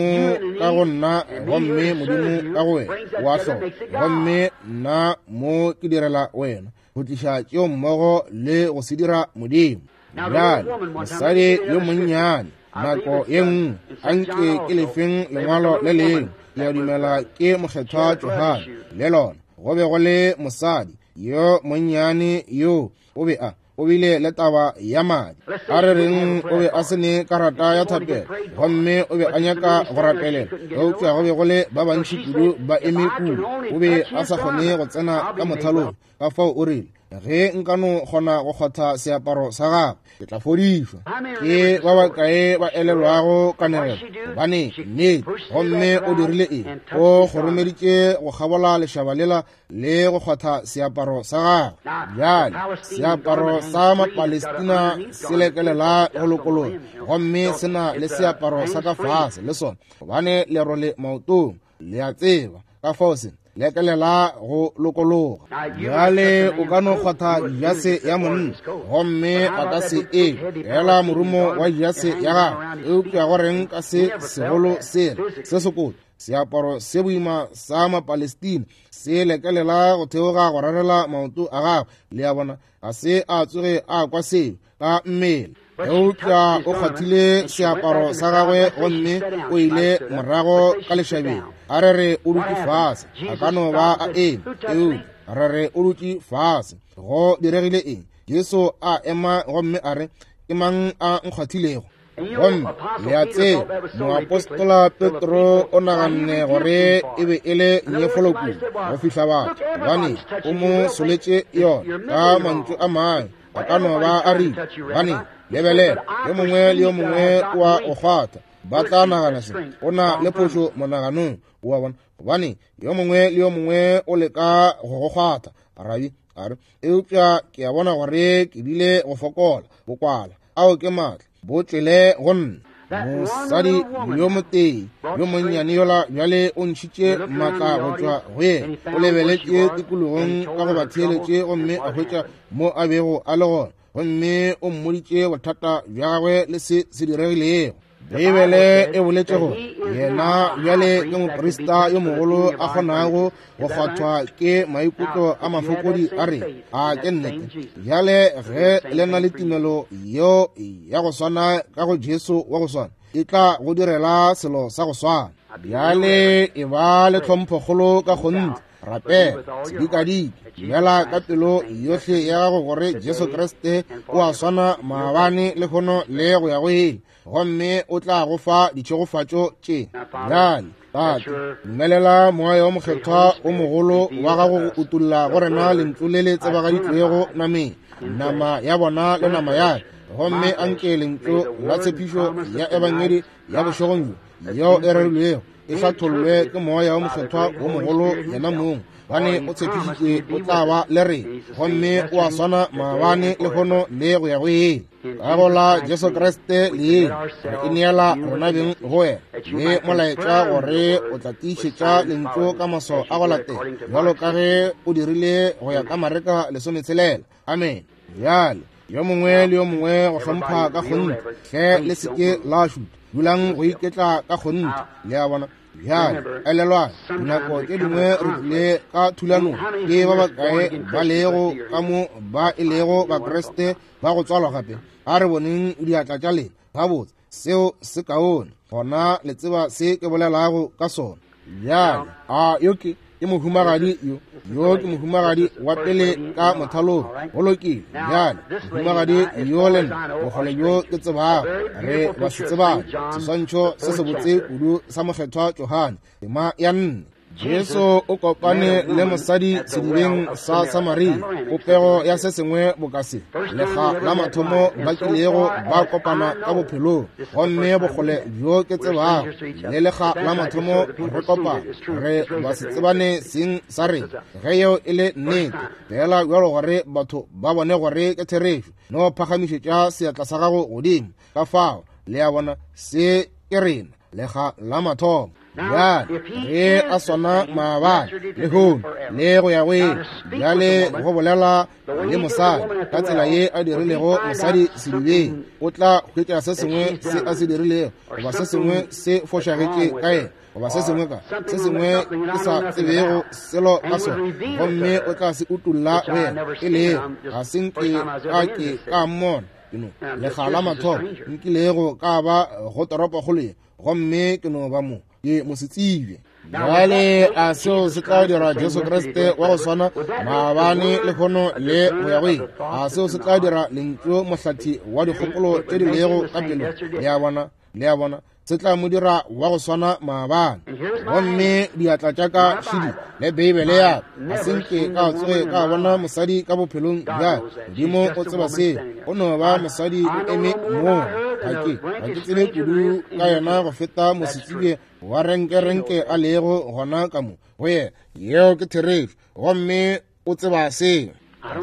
Speaker 1: ka go nna, gomme Modimo ka go wena, wa hloka, gomme nna mo ke direla wena go tliša tšeo mmogo le go se dira Modimo. Bjale mosadi yo monnyane nako ye nngwe, anke ke lefeng lengwalo le lengwe, ke a dumela ke mokgethwa Johane le lona, go be go le mosadi yo monnyane yo o be a o bile le taba ya madi. A re reng o be a se ne karata ya thapelo, gomme o be a nyaka go rapelela, eupša go be go le ba bantši kudu ba eme kudu, o be a sa kgone go tsena ka mothalong. Ka fao o rile, ge nka no kgona go kgotha seaparo sa gagwe, ke tla fodišwa. Ke ba bakae ba elelwago kanegelo? Gobane nnete, gomme o dirile eng? O kgoromeditše go kgabola lešaba lela le go kgotha seaparo sa gagwe. Bjale seaparo sa Mapalestina se lekelela go lokologa, gomme se na le seaparo sa ka fase le sona, gobane lerole maotong, le a tseba. Ka fao se lekelela go lokologa. Bjale o ka no kgwatha jase ya monna, gomme a ka se e fela morumo wa jase ya gagwe, eupša go reng ka se segolo sela se sekoto, seaparo se boima sa Mapalestina se lekelela go theoga go rarela maoto a gagwe. Le a bona, ga se a tsoge a kwa seo ka mmele, eupša o kgwathile seaparo sa gagwe gomme o ile morago ka lešabeng. A re re o dutše fase, a ka no ba a eme, eupša re re o dutše fase. Go diregile eng? Jesu a ema gomme a re, ke mang a nkgwathilego? Gomme le a tseba, moapostola Petro o naganne gore e be e le nyefolo kudu go fihla batho, gobane o mo soletše yona ka mantšu a mangwe. A ka no ba a rile, gobane lebelela, yo mongwe le yo mongwe wa go kgwatha, ba tla nagana se, o na le phošo monaganong, wa bona, gobane yo mongwe le yo mongwe o leka go go kgwatha. Rabi a re, eupša ke a bona gore ke bile go fokola, bokwala, ao ke maatla, bo tšwele go nna. Mosadi yo motee yo monnyane yola bjale o ntšhitše maatla go tšwa go yena, o lebeletše tikologong ka go ba theeletše gomme a hwetša mo a bego a le gona, gomme o mmoditše bothata bja gagwe le se se diregilego. Beibele e boletše gore yena bjale ke moprista yo mogolo a kgonago go kgwathwa ke maikutlo a mafokodi a re a ke nnete. Bjale ge le na le tumelo yeo ya go swana ka go Jesu wa go swana, e tla go direla selo sa go swana. Bjale e ba le tlhomphokgolo ka kgonthe, rapela sedikadike, dumela ka pelo yohle ya gago gore Jesu Kriste o a swana maabane lehono le go ya go ile, gomme o tla go fa ditšhegofatšo tše. Bjale Tate, dumelela moya wa mokgethwa o mogolo wa gago go utolla go rena lentšu le le tsebagaditšwego nameng, nama ya bona le nama ya ka, gomme anke lentšu la tshepišo ya ebangedi ya bošegong bjo yeo e rerilwego e hlathollwe ke moya wa mokgethwa wo mogolo yena mong, Gobane o tshepišitše o tla ba le rena, gomme o a swana maabane, lehono le go ya go ile. Ka go la Jesu Kriste leina re ineela rena beng go wena, le molaetša gore o tla tiišetša lentšu ka maswao a go latela, bjalo ka ge o dirile go ya ka Mareka lesometshelela. Amen. Bjale yo mongwe le yo mongwe go hlompha ka kgonthe, hle le se ke la šutha, dulang go iketla ka kgonthe. Le a bona? Bjale elelwang, dinako tše dingwe re tlile ka thulanong ke ba bakae ba lego ka mo ba e lego Bakriste ba go tswalwa gape. A re boneng diatla tša lena. Gabotse, seo se kaone. Gona le tseba se ke bolelago ka sona. Bjale a yo ke ke mohumagadi yo yo ke mohumagadi wa pele ka mothalong. Go lokile. Bjale mohumagadi yo le nna bokgole bjo ke tsebago re ba se tsebane. Seswantšho se sebotse kudu sa mokgethwa Johane, tema ya nne. Jesu o kopane le mosadi sedibeng sa Samaria, popego ya se sengwe boka se. Lekga la mathomo ba kilego ba kopana ka bophelong, gomme bokgole bjo ke tsebago le lekga la mathomo re kopana, re ba se tsebane seng sa rena. Ge yeo e le nnete, fela bjalo gore batho ba bone gore ke therešo, no phagamišetša seatla sa gago godimo. Ka fao, le a bona, se ke rena lekga la mathomo. Bjale ge a swana maabane, lehono le go ya go ile. Bjale go bolela le mosadi ka tsela ye a dirilego mosadi sedibeng, o tla hwetša se sengwe se a se dirilego, goba se sengwe se fošagetše ka yena, goba se sengwe ka se sengwe ke sa tsebego selo ka sona, gomme o tla se utolla go yena. E lego ga se nke ka ke ka mmona, ke no lekga la mathomo nkilego ka ba go toropokgolo ye, gomme ke no ba mo ke mosetsebje. Bjale a seo se tla dira Jesu Kriste wa go swana maabane, lehono le go ya go ile? A seo se tla dira lentšu mohlathi wa dikgopolo tše di lego ka pelong? Le a bona? Le a bona? Se tla mo dira wa go swana maabane. Gomme diatla tša ka šidi le Beibele ya ka, ga se nke ka tsoge ka bona mosadi ka bophelong bja Modimo o tseba seo. O no ba mosadi o eme moo. Ga ke ga ke tsebe kudu ka yena go feta mosetsebje wa renkerenke a lego gona ka mo go yena. Yeo ke therešo, gomme o tseba seo.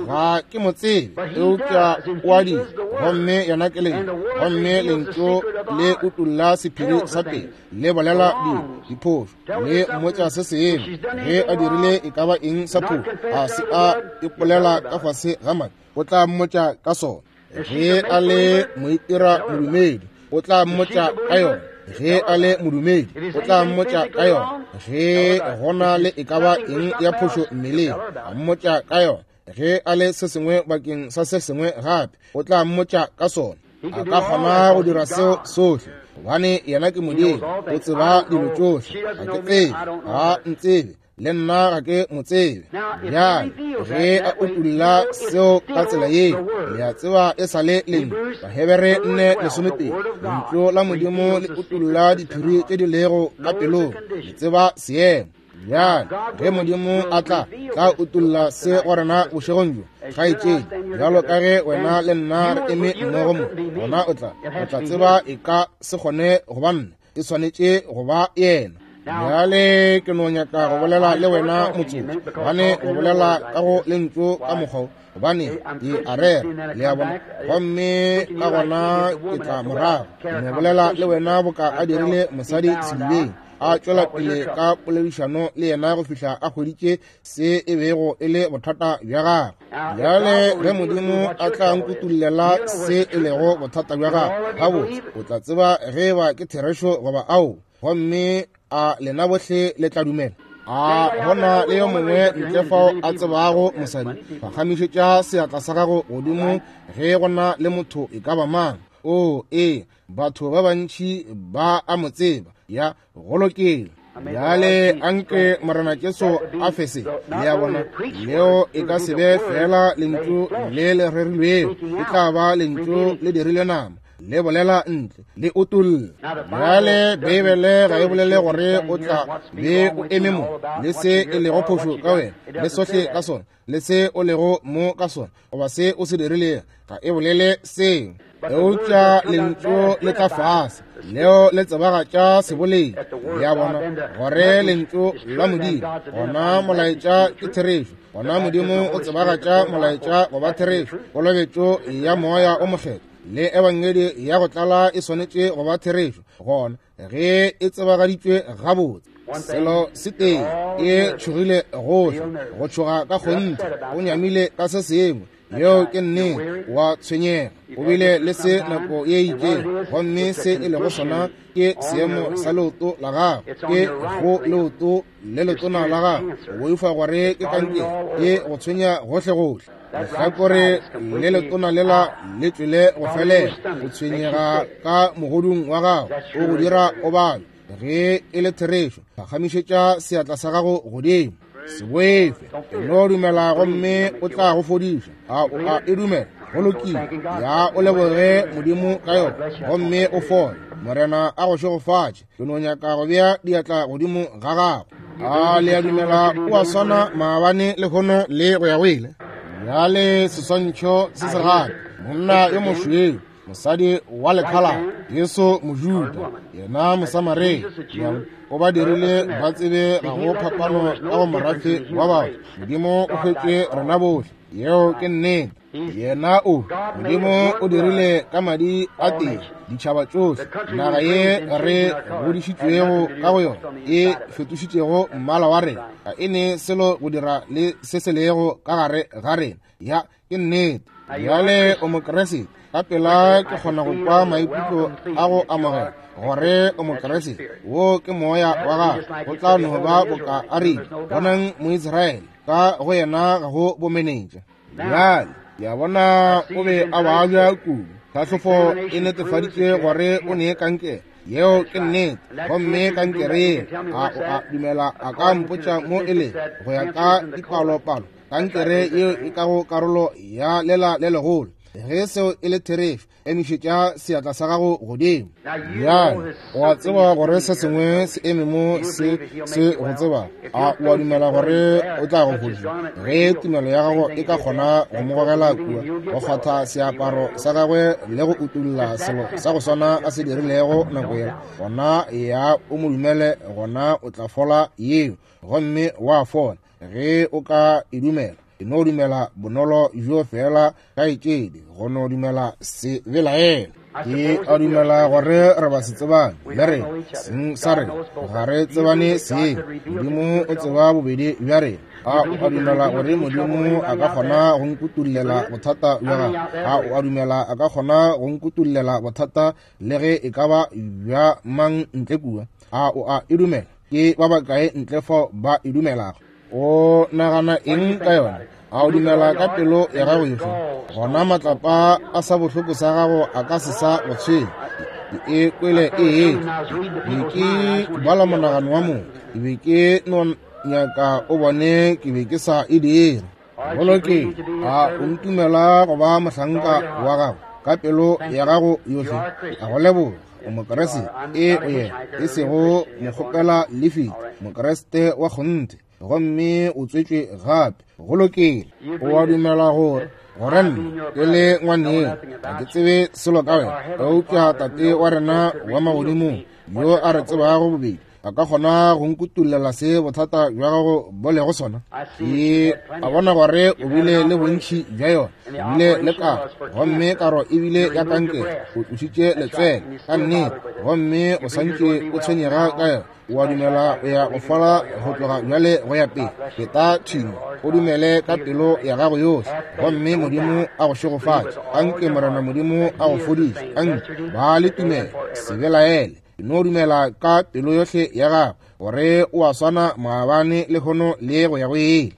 Speaker 1: Ga ke mo tsebe, eupša o a dira, gomme yena ke lentšu, gomme lentšu le utolla sephiri sa pele, le bolela dilo, diphošo, le mmotša se sengwe. Ge a dirile e ka ba eng sa phošo, a se a ipolela ka fase ga madi, o tla mmotša ka sona. Ge a le moitira modumedi, o tla mmotša ka yona. Ge a le modumedi, o tla mmotša ka yona. Ge gona le e ka ba eng ya phošo mmeleng, a mmotša ka yona. Ge a le se sengwe bakeng sa se sengwe gape, o tla mmotša ka sona. A ka kgona go dira seo sohle, gobane yena ke Modimo, o tseba dilo tšohle. Ga ke tsebe, ga ntsebe, le nna ga ke mo tsebe. Bjale ge a utolla seo ka tsela ye, le a tseba e sa le lentšu. Bahebere nne lesomepedi, lentšu la Modimo le utolla diphiri tše di lego ka pelong, le tseba seemo. Bjale ge Modimo a tla tla utolla se go rena bošegong bjo, kgaetšedi, bjalo ka ge wena le nna re eme mmogo mo, gona o tla o tla tseba e ka se kgone go ba nna, e swanetše go ba yena. Bjale ke no nyaka go bolela le wena motsotso, gobane go bolela ka go lentšu ka mokgwa, gobane ke a rera, le a bona, gomme ka gona ke tla morago. Ke no bolela le wena boka a dirile mosadi sedibeng, a tšwela pele ka poledišano le yena go fihla a hweditše se e bego e le bothata bja gagwe. Bjale ge Modimo a tla nkutullela se e lego bothata bja gagwe, gabotse o tla tseba ge eba ke therešo goba ao, gomme a lena bohle le tla dumela. A gona le yo mongwe ntle fao a tsebago mosadi, phagamišetša seatla sa gago godimo ge gona le motho e ka ba mang. O ee, batho ba bantši ba a mo tseba. Ya, go lokile. Bjale anke Morena Jesu a fe se. Le a bona, leo e ka se be fela lentšu le le rerilwego, e tla ba lentšu le dirile nama, Le bolela ntle, le utolla. Bjale Beibele ga e bolele gore o tla be o eme mo, le se e lego phošo ka wena, le sohle ka sona, le se o lego mo ka sona, goba se o se dirilego, ga e bolele seo. Eupša lentšu le tla fase, leo le tsebagatša seboledi, ya bona gore lentšu la Modimo, gona molaetša ke therešo, gona Modimo o tsebagatša molaetša goba therešo. Kolobetšo ya Moya o Mokgethwa le ebangedi ya go tlala e swanetše go ba therešo, gona ge e tsebagaditšwe gabotse. Selo se tee, e tšhogile gohle, go tšhoga ka kgonthe, o nyamile ka se sengwe, yeo ke nnete, wa tshwenyega, o bile le se nako ye itšeng, gomme se e lego sona ke seemo sa leoto la gago, ke go leoto le letona la gago, o boifa gore ke kankere, e go tshwenya gohle-gohle. Lehlakore le letona lela le tšwele go felela, o tshwenyega ka mogodung wa gago, o go dira o bale. Ge e le therešo, phagamišetša seatla sa gago godimo. Se boife, e no dumela gomme o tla go fodiša. A o a e dumela? Go lokile. Ya o leboge Modimo ka yona, gomme o fole. Morena a go šegofatše. Ke no nyaka go bea diatla godimo ga gago. A le a dumela o a swana maabane lehono le go ya go ile? Bjale seswantšho se se gape, monna yo mošweu, mosadi wa lekhala, Jesu Mojuda, yena Mosamaria, o ba dirile ba tsebe ga go phapano ka go morafe wa batho. Modimo o hwetše rena bohle, yeo ke nnete. Yena o, Modimo o dirile ka madi a tee ditšhaba tšohle, naga ye re godišitšwego ka go yona e fetošitšego mmala wa rena, ga e ne selo go dira le se se lego ka gare ga rena. Ya, ke nnete. Bjale o Mokriste, ka pela ke kgona go kwa maikutlo a go amogela gore o Mokriste. Wo ke moya wa gago, go tla no ba boka a rile, bonang Moisraele, ka go yena ga go bomenetša. Bjale ke a bona o be a babja kudu, tlhahlofo e netefaditše gore o ne kankere, yeo ke nnete, gomme kankere ye, a o a dumela a ka mpotša mo e lego go ya ka dipalopalo, kankere yeo e ka go karolo ya lela le legolo. Ge seo e le therešo, emišetša seatla sa gago godimo. Bjale o a tseba gore se sengwe se eme mo se se go tseba. A o a dumela gore o tla go fodiša? Ge tumelo ya gago e ka kgona go mo gogela kua, go kgwatha seaparo sa gagwe le go utolla selo sa go swana a se dirilego nako yela, gona ya o mo dumele, gona o tla fola yeo, gomme wa fola. Ge o ka e dumela, e no dumela bonolo bjo fela kaetšedi, go no dumela se belaela. Ke a dumela gore re ba se tsebane le rena, seng sa rena ga re tsebane seng. Modimo o tseba bobedi bja rena. A o a dumela gore Modimo a ka kgona go nkutullela bothata bja gago? A o a dumela a ka kgona go nkutullela bothata le ge e ka ba bja mang ntle kua? A o a e dumela? Ke ba bakae ntle fao ba e dumelago? O nagana eng ka yona? A o dumela ka pelo ya gago yohle? Gona matlapa a sa bohloko sa gago a ka se sa go tshwenya. Ke e kwele e etla. Be ke bala monagano wa motho, ke be ke no nyaka o bone ke be ke sa e dire. Go lokile. A o ntumela go ba mohlanka wa gago ka pelo ya gago yohle? A go leboga. O Mokriste, e o yena, e sego mokgopela lefiti, Mokriste wa kgonthe, gomme o tswetšwe gape. Go lokile. O a dumela gore gore nna ke le ngwaneng ga ke tsebe selo ka wena, eupša Tate wa rena wa magodimong yo a re tsebago bobedi a ka kgona go nkutullela se bothata bja gago bo lego sona. Ke a bona gore o bile le bontši bja yona, o bile le karo, gomme karo e bile ya kankere, o tlošitše letswele ka nnete, gomme o santše o tshwenyega ka yona. O a dumela o ya go fola go tloga bjale go ya pele? Feta thimo, o dumele ka pelo ya gago yohle, gomme Modimo a go šegofatše. Anke Morena Modimo a go fodiše. Anke ba le tumelo, se belaele. No dumela ka pelo yohle ya gago gore o a swana maabane lehono le go ya go ile.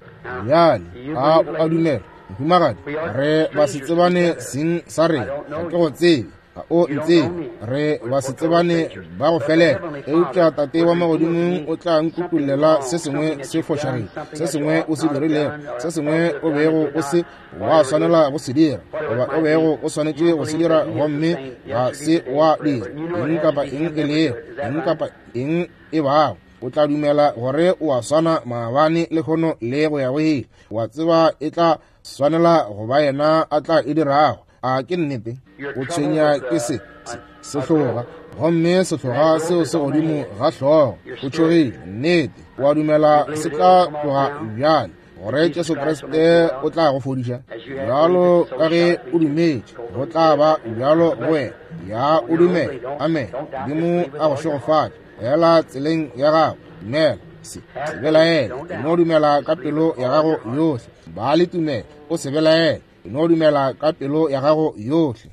Speaker 1: Bjale a o a dumela, mohumagadi? Re ba se tsebane seng sa rena, ga ke go tsebe, ga o ntsebe, re ba se tsebane ba go felela, eupša Tate wa magodimong o tla nkukullela se sengwe se fošagile, se sengwe o se dirilego, se sengwe o bego o se wa swanela go se dira, goba o bego o swanetše go se dira gomme ga se wa dira, eng kapa eng e lego, eng kapa eng e bago. O tla dumela gore o a swana maabane lehono le go ya go ile. Wa tseba e tla swanela go ba yena a tla e dirago. A ke nnete? O tshwenya ke se sehloga, gomme sehloga seo se godimo ga hlogo. O tšhogile, nnete. O a dumela se tla tloga bjale, gore Jesu Kriste o tla go fodiša? Bjalo ka ge o dumetše, go tla ba bjalo go wena. Ya o dumela. Amen. Modimo a go šegofatše. Ela tseleng ya gago, dumela, se se belaele, no dumela ka pelo ya gago yohle. Ba le tumelo, o se belaele, no dumela ka pelo ya gago yohle.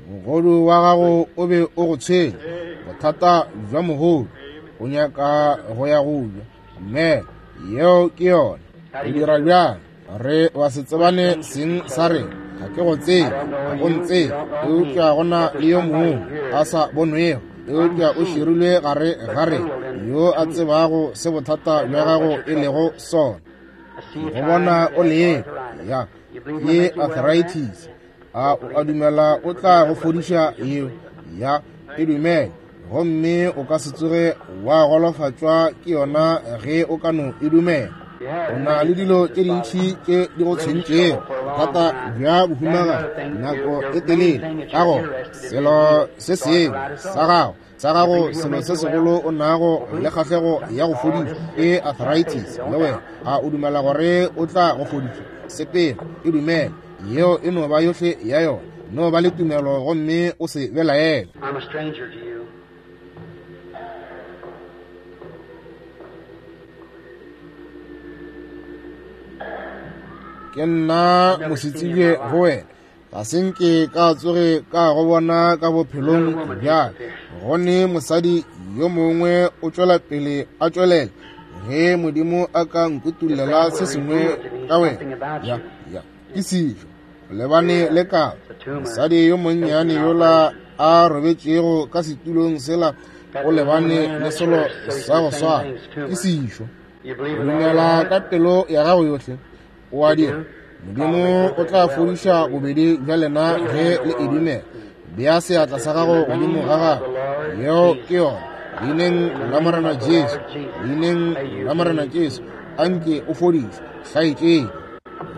Speaker 1: Mogodu wa gago o be o go tshwenya, bothata bja mogodu, o nyaka go ya go ja. Dumela, yeo ke yona. O dira bjang? Re wa se tsebane seng sa rena. Ga ke go tsebe, ga go ntsebe, eupša go na le yo mongwe a sa bonwego, eupša o širilwe gare ga rena, yo a tsebago se bothata bja gago e lego sona. Go bona o leka, ya, ke arthritis. A o a dumela o tla go fodiša yeo? Ya, e dumele, gomme o ka se tsoge wa golofatšwa ke yona ge o ka no e dumela. O na le dilo tše dintši tše di go tshwentšego, bothata bja bohumaga nako e telele. Ka gona selo se sengwe sa gago sa gago selo se segolo o nago le kgahlego ya go fodišwa ke arthritis. Le wena a o dumela gore o tla go fodišwa? Sepela, e dumele. Yeo e no ba yohle ya yona. No ba le tumelo gomme o se belaele. Ke nna mosetsebje go wena, ga se nke ka tsoge ka go bona ka bophelong bjale. Gone mosadi yo mongwe o tšwela pele a tšwelela, ge Modimo a ka nkutullela se sengwe ka wena. Ya, ya, ke sejo, o lebane le ka mosadi yo monnyane yola a robetšego ka setulong sela, o lebane le selo sa go swana. Ke sejo. O dumela ka pelo ya gago yohle. O a dira. Modimo o tla fodiša bobedi bja lena ge le e dumela. Bea seatla sa gago godimo ga gago. Yeo ke yona. Leineng la Morena Jesu, leineng la Morena Jesu, anke o fodišwe, hlaetšeng.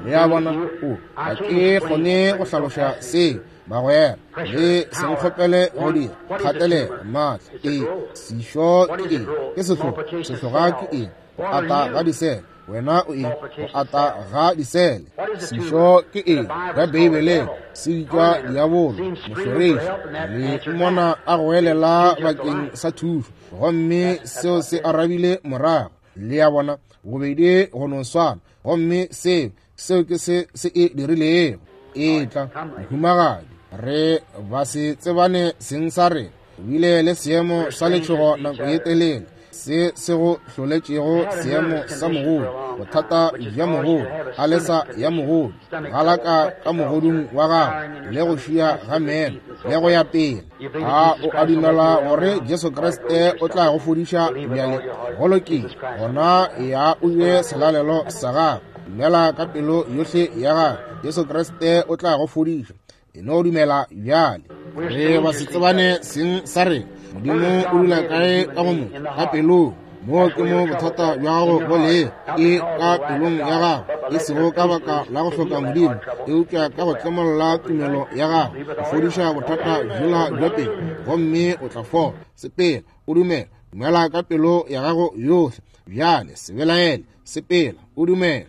Speaker 1: Le a bona, o ga ke kgone go hlaloša seo, bagwera. Le se nkgopele go dira kgatelelo maatla. E sešo ke eng? Ke sehloga. Sehloga ke eng? Go ata ga disele. Wena o eng? Go ata ga disele. Sešo ke eng? Ka Beibeleng se bitšwa diabolo, mohloriši. Le mmona a goelela bakeng sa thušo, gomme seo se arabile morago. Le a bona, bobedi go no swana, gomme seo seo ke se se e dirilego. E tla, mohumagadi, re ba se tsebane seng sa rena. O bile le seemo sa letšhogo nako ye telele, se se go hloletšego seemo sa mogodu, bothata bja mogodu, alesa ya mogodu, galaka ka mogodung wa gago, le go šia ga meno, le go ya pele. A o a dumela gore Jesu Kriste o tla go fodiša bjale? Go lokile, gona ya o je selalelo sa gago. Dumela ka pelo yohle ya gago, Jesu Kriste o tla go fodiša. E no dumela bjale. Re ba se tsebane seng sa rena. Modimo o dula kae ka go mo? Ka pelong. Moo ke mo bothata bja gago bo lego, ke ka pelong ya gago, e sego ka baka la go hloka Modimo, eupša ka go tlemolla tumelo ya gago, go fodiša bothata bjola bja pelo, gomme o tla fola. Sepela, o dumela. Dumela ka pelo ya gago yohle. Bjale se belaele, sepela, o dumela.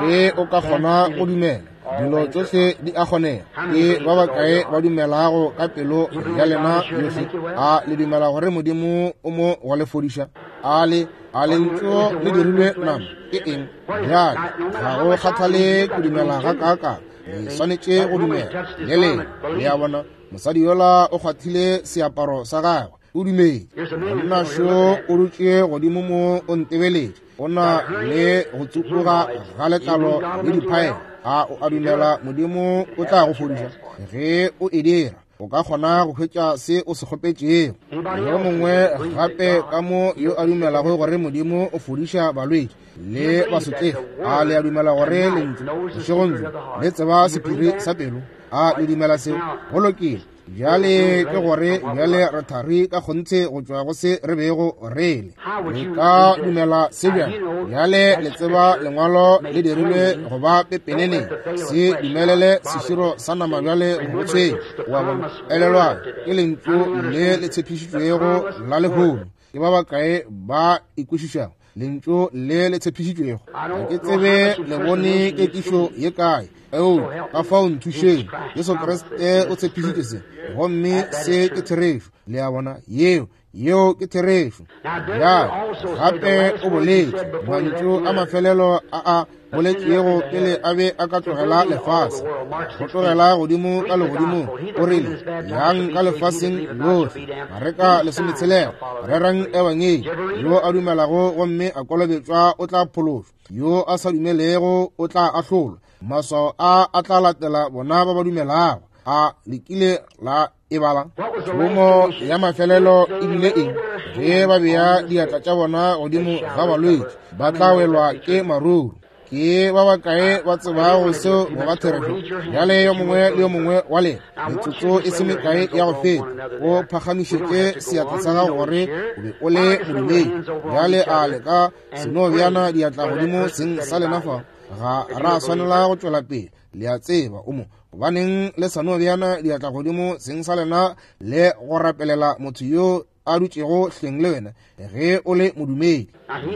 Speaker 1: Ge o ka kgona go dumela, dilo tšohle di a kgonega. Ke ba bakae ba dumelago ka pelo ya lena yohle? A le dumela gore Modimo o mo go le fodiša? A le a lentšu le dirilwe nama ke eng? Bjale ga go kgathale go dumela ga kaakang, le swanetše go dumela le leng. Le a bona, mosadi yola o kgwathile seaparo sa gagwe. O dumetše. Monna šo o dutše godimo mo o ntebeletše. O na le go tsupuga ga letlalo le diphaela. A o a dumela Modimo o tla go fodiša? Ge o e dira, o ka kgona go hwetša se o se kgopetšego. Yo mongwe gape ka mo yo a dumelago gore Modimo o fodiša balwetši le basotlegi, a le a dumela gore lentšu bošegong bjo le tseba sephiri sa pelo? A le dumela seo? Go lokile. Bjale ke gore bjale re thari ka kgonthe go tšwa go se re bego re le. Le ka dumela se bjang? Bjale le tseba lengwalo le dirilwe go ba pepeneneng. Se dumelele seširo sa nama bjale go tshwenya. Wa bona? Elelwang, ke lentšu le le tshepišitšwego la lehono. Ke ba bakae ba ikwešišago lentšu le le tshepišitšwego? Ga ke tsebe le bone kekišo ye kae. Eo, ka fao nthušeng. Jesu Kriste o tshepišitše se, gomme se ke therešo. Le a bona? Yeo, yeo ke therešo. Bjale gape o boletše mantšu a mafelelo a a boletšego pele a be a ka tlogela lefase, go tlogela godimo ka legodimong. O rile, yang ka lefaseng lohle, Mareka lesometshelela, rerang ebangedi. Yo a dumelago gomme a kolobetšwa o tla phološwa, yo a sa dumelego o tla ahlolwa. Maswao a a tla latela bona ba ba dumelago. A le kile la e bala? Thomo ya mafelelo e bile eng? Ge ba bea diatla tša bona godimo ga balwetši, ba tla welwa ke maruru. Ke ba bakae ba tsebago seo go ba therešo? Bjale yo mongwe le yo mongwe wa lena, metsotso e se mekae ya go feta, o phagamišetše seatla sa gago gore o be o le modumedi. Bjale a le ka se no beana diatla godimo seng sa lena fa? Ga ra swanela go tšwela pele. Le a tseba o mo. Gobaneng le sa no beana diatla godimo seng sa lena le go rapelela motho yo a dutšego hleng le wena ge o le modumedi?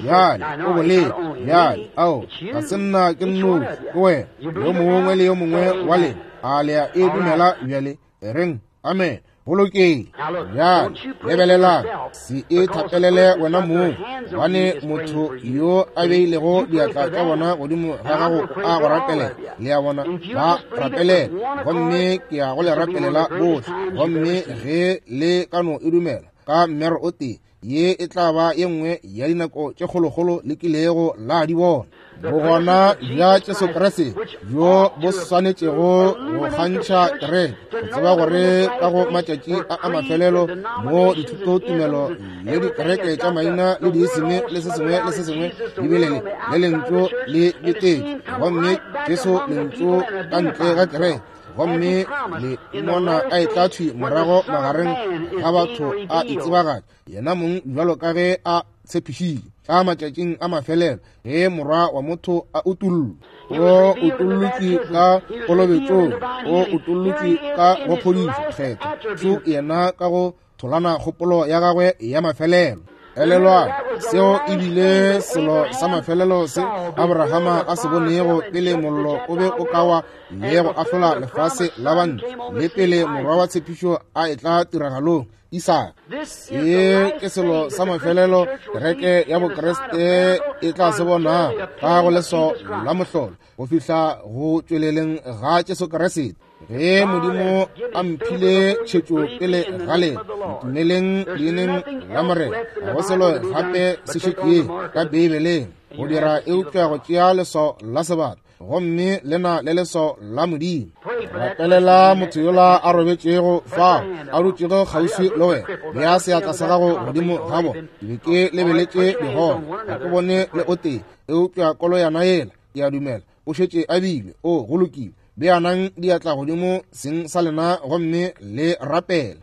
Speaker 1: Bjale o boletše. Bjale ao, ga se nna ke nnoši, ke wena, yo mongwe le yo mongwe wa lena. A le a e dumela bjale? E reng amen. Go lokile. Bjale lebelelang, se e thapelele wena mong, gobane motho yo a beilego diatla tša bona godimo ga gago a go rapelela. Le a bona? Ba rapelela, gomme ke ya go le rapelela bohle. Gomme ge le ka no e dumela ka mmero o tee, ye e tla ba ye nngwe ya dinako tše kgolokgolo le kilego la di bona. Bogona bja Jesu Kriste bjo bo swanetšego go kgantšha kereke, go tseba gore ka go matšatši a a mafelelo mo dithutotumelo le dikereke tša maina le diisime le se sengwe le se sengwe di bile le le lentšu le betetše, gomme Jesu lentšu ka ntle ga kereke, gomme le mmona a etla thwi morago magareng ga batho a itsebagatša yena mong bjalo ka ge a tshepišitše ka matšatšing a mafelelo ge morwa wa motho a utollwa. O utollotšwe ka kolobetšong, o utollotšwe ka go phodišo kgetho, šo yena ka go tholana kgopolo ya gagwe ya mafelelo. Elelwang, seo e bile selo sa mafelelo se Abrahama a se bonego pele mollo o be o ka wa le go ahlola lefase la bantle, le pele morwa wa tshepišo a etla tiragalong, Isaka. Se ke selo sa mafelelo kereke ya Bokriste e tla se bona ka go leswao la mohlolo go fihla go tšweleleng ga Jesu Kriste. Ge Modimo a mphile tšhetšo pele ga lena, ntumeleng leineng la Morena. Ga go selo gape se šetšeng ka Beibeleng go dira eupša go tšea leswao la sebata, gomme le na le leswao la Modimo. Rapelela motho yola a robetšego fao, a dutšego kgauswi le wena. Bea seatla sa gago godimo ga bona. Ke be ke lebeletše digona, ga ke bone le o tee, eupša koloyana yela, ke a dumela o šetše a bile. O go lokile. Beanang diatla godimo seng sa lena gomme le rapele.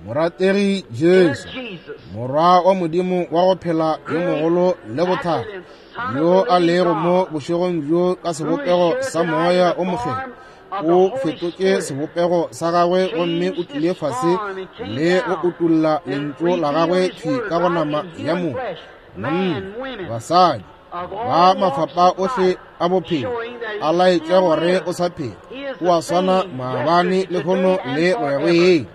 Speaker 1: Morategi Jesu, Morwa wa Modimo wa go phela yo mogolo le bothata, yo a lego mo bošegong bjo ka sebopego sa Moya o Mokgethwa, o fetotše sebopego sa gagwe gomme o tlile fase le go utolla lentšu la gagwe thwi ka go nama ya motho, monna, basadi, ba mafapa ohle a bophelo a laetše gore o sa phela, o a swana maabane lehono le go ya go ile.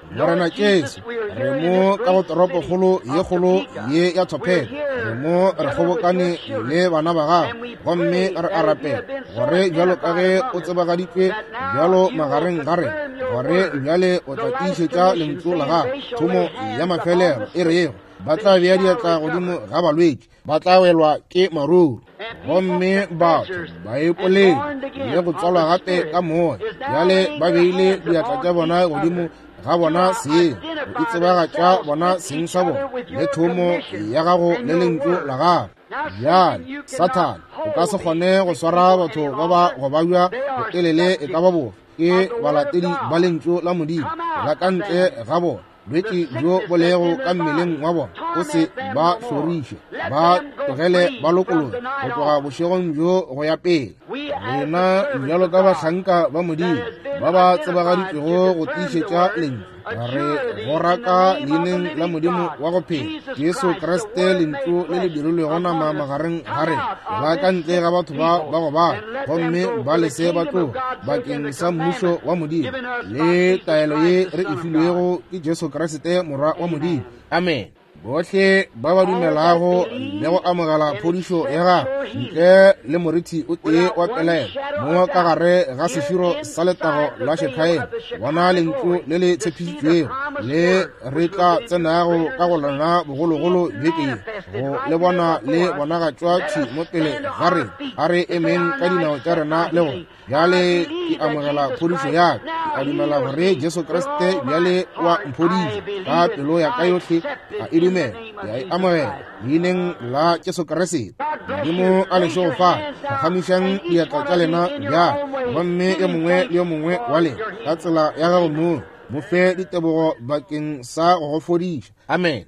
Speaker 1: Morena Jesu, re mo ka go toropokgolo ye kgolo ye ya Topeka, re mo re kgobokane le bana ba gago, gomme re a rapela gore bjalo ka ge o tsebagaditšwe bjalo magareng ga rena, gore bjale o tla tiišetša lentšu la gago, thomo ya mafelelo e rego ba tla bea diatla godimo ga balwetši, ba tla welwa ke maruru. Gomme batho ba ipolele le go tswalwa gape ka moya, bjale ba beile diatla tša bona godimo ga bona seng, go itsebagatša bona seng sa bona le thomo ya gago le lentšu la gago. Bjale Sathane o ka se kgone go swara batho ba ba go babja botelele e ka ba bofe, ke balatedi ba lentšu la Modimo la ka ntle ga bona. Bolwetši bjo bo lego ka mmeleng wa bona o se ba hloriše, ba tlogele ba lokologe go tloga bošegong bjo go ya pele. Rena bjalo ka bahlanka ba Modimo ba ba tsebagaditšwego go tiišetša lentšu, re go raka leineng la Modimo wa go phela, Jesu Kriste, lentšu le le dirilwego nama magareng ga rena, la ka ntle ga batho ba ba go bala, gomme ba lese ba tloga bakeng sa mmušo wa Modimo le taelo ye re e filwego ke Jesu Kriste Morwa wa Modimo. Amen. Bohle ba ba dumelago le go amogela phodišo ya gagwe ntle le morithi o tee wa pelaelo mo ka gare ga seširo sa letago la Shekhaena, bona lentšu le le tshepišitšwego le re tla tsenago ka go lona bogologolo beke ye, go le bona le bonagatšwa thwi mo pele ga rena. A re emeng ka dinao tša rena le gore bjale ke amogela phodišo ya ka, ke a dumela gore Jesu Kriste bjale wa mphodiša ka pelo ya ka yohle, a e dumela, ke a e amogela leineng la Jesu Kriste. Modimo a le šegofatše. Phagamišang diatla tša lena bjale, gomme yo mongwe le yo mongwe wa lena ka tsela ya gago mong mo fe ditebogo bakeng sa go go fodiša. Amen.